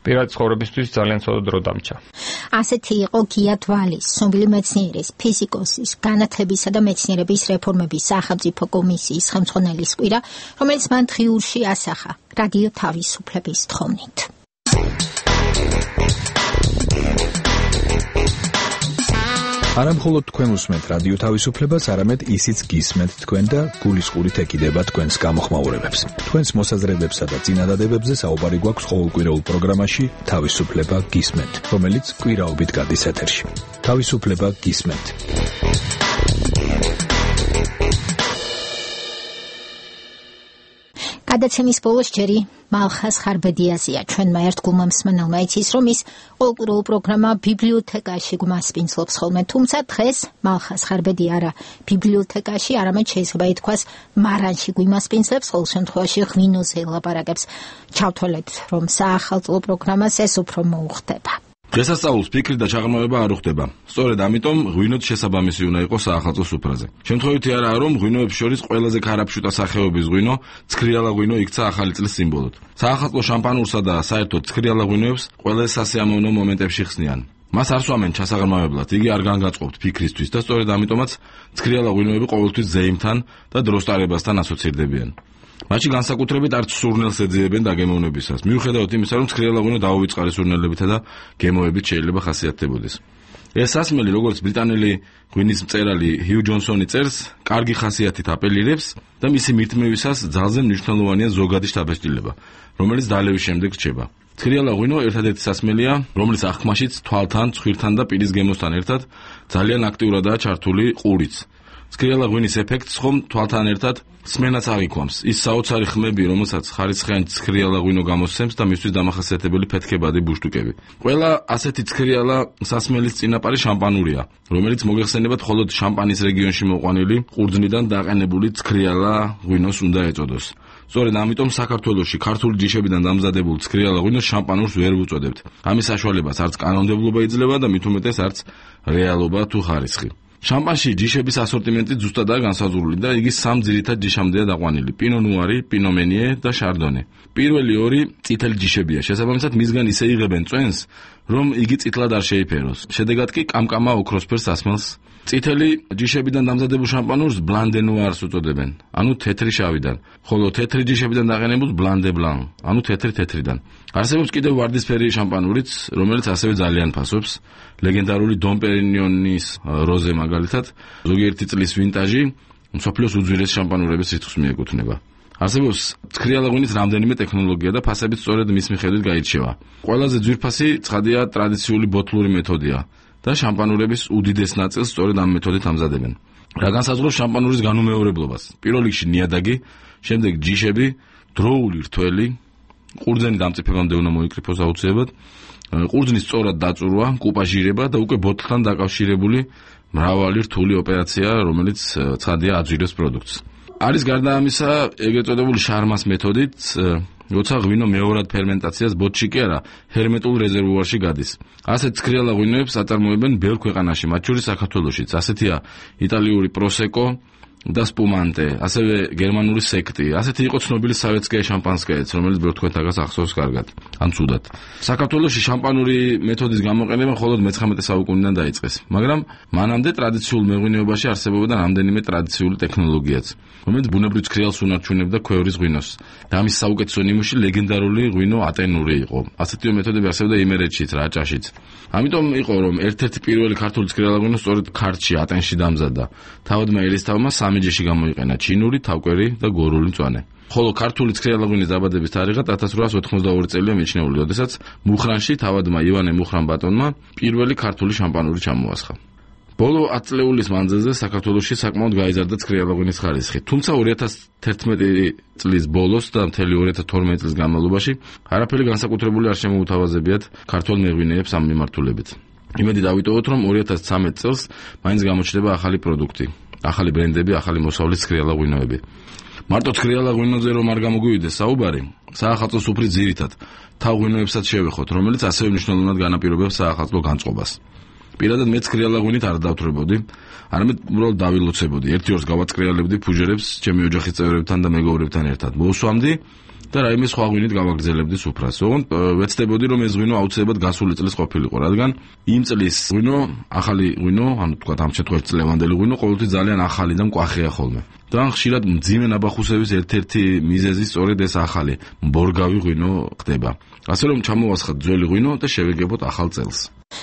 Speaker 8: პირადი ცხოვრებისთვის ძალიან ცოტა დრო დამჭა.
Speaker 3: ასეთი იყო გია დვალის, ცნობილი მეცნიერის, ფიზიკოსის, განათებისა და მეცნიერების რეფორმების სახელმწიფო კომისიის ხელმძღვანელის კვირა, რომელიც მან დღიურში ასახა რადიო თავისუფლების თხოვნით.
Speaker 5: არა მხოლოდ თქვენ უსმენთ რადიო თავისუფლებას, არამედ ისიც გისმენთ თქვენ და გულისყურით ეკიდება თქვენს გამოხმაურებებს. თქვენს მოსაზრებებსა და წინადადებებზე საუბარი გვაქვს ყოველკვირეულ პროგრამაში თავისუფლება გისმენთ, რომელიც კვირაობით გადის ეთერში. თავისუფლება გისმენთ.
Speaker 3: გადაცემის ბოლოს ჯერი მალხას ხარბედიაზია ჩვენმა ერთგულმა მსმენელმა იცის, რომ ის ყოველკვირეულ პროგრამა ბიბლიოთეკაში გვასპინძლობს ხოლმე, თუმცა დღეს მალხას ხარბედი არა ბიბლიოთეკაში, არამედ შეიძლება ითქვას მარანში გვიმასპინძლებს, ყოველ შემთხვევაში ღვინოზე ელაპარაკებს. ჩავთვალეთ, რომ საახალწლო პროგრამას ეს უფრო მოუხდება.
Speaker 19: დღესასწაულს ფიქრი და ჩაღრმავება არ უხდება. სწორედ ამიტომ ღვინოთ შესაბამისი უნდა იყოს საახალწლო სუფრაზე. შემთხვევითი არაა, რომ ღვინოებს შორის ყველაზე ქარაფშუტა სახეობის ღვინო, ცქრიალა ღვინო იქცა ახალი წლის სიმბოლოდ. საახალწლო შამპანურსა და საერთოდ ცქრიალა ღვინოებს ყველა სასიამოვნო მომენტებში ხსნიან. მას არ სვამენ ჩასაღრმავებლად, იგი არ განგაწყობთ ფიქრისთვის და სწორედ ამიტომაც ცქრიალა ღვინოები ყოველთვის ზეიმთან და დროსტარებასთან ასოცირდებიან. მაშინ განსაკუთრებით არც სურნელს ეძიებენ დაგემოვნებისას. მიუხედავად იმისა, რომ ცქრიალა ღვინო დაუვიწყარი სურნელებითა და გემოებით შეიძლება ხასიათდებოდეს. ეს სასმელი, როგორც ბრიტანელი ღვინის მწერალი ჰიუ ჯონსონი წერს, კარგი ხასიათით აპელირებს და მისი მირთმევისას ძალზე მნიშვნელოვანია ზოგადი შთაბეჭდილება, რომელიც დალევის შემდეგ რჩება. ცქრიალა ღვინო ერთადერთი სასმელია, რომლის აღქმაშიც თვალთან, ცხვირთან და პირის გემოსთან ერთად ძალიან აქტიურადაა ჩართული ყურიც. ცქრიალა ღვინის ეფექტს ხომ თვალთან ერთად სმენაც აღიქვამს. ის საოცარი ხმები, რომელსაც ხარისხიანი ცქრიალა ღვინო გამოსცემს და მისთვის დამახასიათებელი ფეთქებადი ბუშტუკები. ყველა ასეთი ცქრიალა სასმელის წინაპარი შამპანურია, რომელიც მოგეხსენებათ მხოლოდ შამპანის რეგიონში მოყვანილი ყურძნიდან დაყენებული ცქრიალა ღვინოს უნდა ეწოდოს. სწორედ ამიტომ საქართველოში ქართული ჯიშებიდან დამზადებულ ცქრიალა ღვინოს შამპანურს ვერ ვუწოდებთ. ამის საშუალებას არც კანონმდებლობა იძლევა და მით უმეტეს არც რეალობა თუ ხარისხი. შამპანში ჯიშების ასორტიმენტი ზუსტადაა განსაზღვრული და იგი სამ ძირითად ჯიშამდეა დაყვანილი: პინო ნუარი, პინო მენიე და შარდონე. პირველი ორი წითელი ჯიშებია, შესაბამისად მისგან ისე იღებენ წვენს, რომ იგი წითლად არ შეიფეროს. შედეგად კი კამკამა ოქროსფერ სასმელს. წითელი ჯიშებიდან დამზადებულ შამპანურს ბლანდე ნუარს უწოდებენ, ანუ თეთრი შავიდან, ხოლო თეთრი ჯიშებიდან დაყენებულ ბლანდე ბლან, ანუ თეთრი თეთრიდან. არსებობს კიდევ ვარდისფერი შამპანურიც, რომელიც ასევე ძალიან ფასობს. ლეგენდარული დონ პერინიონის როზე მაგალითად, ზოგიერთი წლის ვინტაჟი, მსოფლიოს უძვირეს შამპანურების რიცხვს მიეკუთვნება. არსებობს ცქრიალა ღვინის რამდენიმე ტექნოლოგია და ფასებიც სწორედ მის მიხედვით გაირჩევა. ყველაზე ძვირფასი ცხადია ტრადიციული ბოთლური მეთოდია და შამპანურების უდიდეს ნაწილს სწორედ ამ მეთოდით ამზადებენ. რა განსაზღვრავს შამპანურის განუმეორებლობას? პირველ რიგში ნიადაგი, შემდეგ ჯიშები, დროული რთველი, ყურძენი დამწიფებამდე უნდა მოიკრიფოს აუცილებლად, ყურძნის სწორად დაწურვა, კუპაჟირება და უკვე ბოთლთან დაკავშირებული მრავალი რთული ოპერაცია, რომელიც ცხადია აძვირებს პროდუქტს. არის გარდა ამისა ეგრეთ წოდებული შარმას მეთოდით, როცა ღვინო მეორად ფერმენტაციას ბოთლში კი არა, ჰერმეტულ რეზერვუარში გადის. ასეთ ცქრიალა ღვინოებს აწარმოებენ ბევრ ქვეყანაში, მათ შორის საქართველოშიც. ასეთია იტალიური პროსეკო და სპუმანტე, ასევე გერმანული სექტი. ასეთი იყო ცნობილი სავეტსკაია შამპანსკაიაც, რომელიც ბევრ თქვენთაგას ახსოვს კარგად, ან ცუდად. საქართველოში შამპანური მეთოდის გამოყენება მხოლოდ მეცხრამეტე საუკუნიდან დაიწყეს, მაგრამ მანამდე ტრადიციულ მეღვინეობაში არსებობდა რამდენიმე ტრადიციული ტექნოლოგიაც, რომელიც ბუნებრივ ცქრიალს უნარჩუნებდა ქვევრის ღვინოს. და ამის საუკეთესო ნიმუში ლეგენდარული ღვინო ატენური იყო. ასეთივე მეთოდები არსებობდა იმერეთშიც, რაჭაშიც. ამიტომ იყო, რომ ერთ-ერთი პირველი ქართული ცქრიალა ღვინო სწორედ ქართლში, ატენში დამზადდა. თავადმა ერისთავმა სამი ჯიში გამოიყენა: ჩინური, თავკვერი და გორული მწვანე. ხოლო ქართული ცქრიალა ღვინის დაბადების თარიღად ათას რვაას ოთხმოცდაორი წელია მიჩნეული, როდესაც მუხრანში თავადმა ივანე მუხრან-ბატონმა პირველი ქართული შამპანური ჩამოასხა. ბოლო ათი წლეულის მანძილზე საქართველოში საკმაოდ გაიზარდა ცქრიალა ღვინის ხარისხი, თუმცა ორი ათას თერთმეტი წლის ბოლოს და მთელი ორი ათას თორმეტი წლის განმავლობაში არაფერი განსაკუთრებული არ შემოუთავაზებიათ ქართველ მეღვინეებს ამ მიმართულებით. იმედი დავიტოვოთ, რომ ორი ათას ცხრამეტ წელს მაინც გამოჩნდება ახალი პროდუქტი, ახალი ბრენდები, ახალი მოსავლის ცქრიალა ღვინოები. მარტო ცქრიალა ღვინოზე რომ არ გამოგვივიდეს საუბარი, საახალწლო სუფრის ძირითად თავ ღვინოებსაც შევეხოთ, რომელიც ასევე მნიშვნელოვნად განაპირობებს საახალწლო განწყობას. პირადად მე ცქრიალა ღვინით არ დავთვრებოდი, არამედ უბრალოდ დავილოცებოდი. ერთი ორს გავაცქრიალებდი ფუჟერებს ჩემი ოჯახის წევრებთან და მეგობრებთან ერთად. მოვსვამდი და რაიმე სხვა ღვინით გავაგრძელებდი სუფრას. ოღონდ ვეცდებოდი რომ ეს ღვინო აუცილებლად გასული წლის ყოფილიყო, რადგან იმ წლის ღვინო, ახალი ღვინო, ანუ თქვა ამ შემთხვევაში წლევანდელი ღვინო ყოველთვის ძალიან ახალი და მკვახეა ხოლმე. და ხშირად მძიმე ნაბახუსების ერთ-ერთი მიზეზი სწორედ ეს ახალი მბორგავი ღვინო ხდება. ასე რომ ჩამოვასხათ ძველი ღვინო და შევეგებოთ ახალ წელს.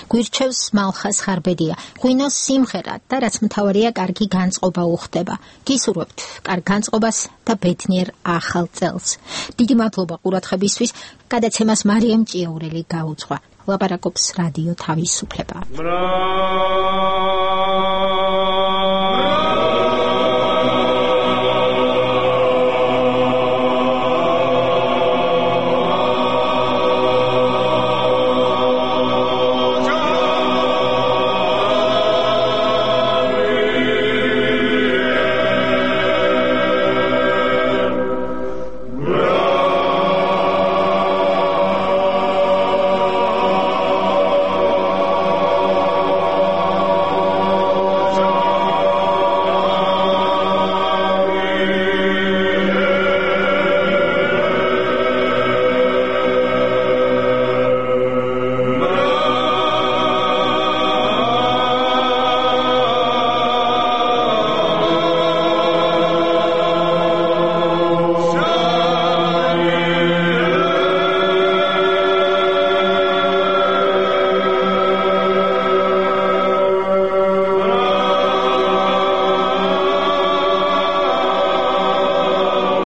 Speaker 3: გვირჩევს მალხას ხარბედია. ღვინოს სიმღერა და რაც მთავარია, კარგი განწყობა უხდება. გისურვებთ კარგ განწყობას და ბედნიერ ახალ წელს. დიდი მადლობა ყურადღებისთვის. გადაცემას მარიამ ჭიაურელი გაუძღვა. ლაპარაკობს რადიო თავისუფლება.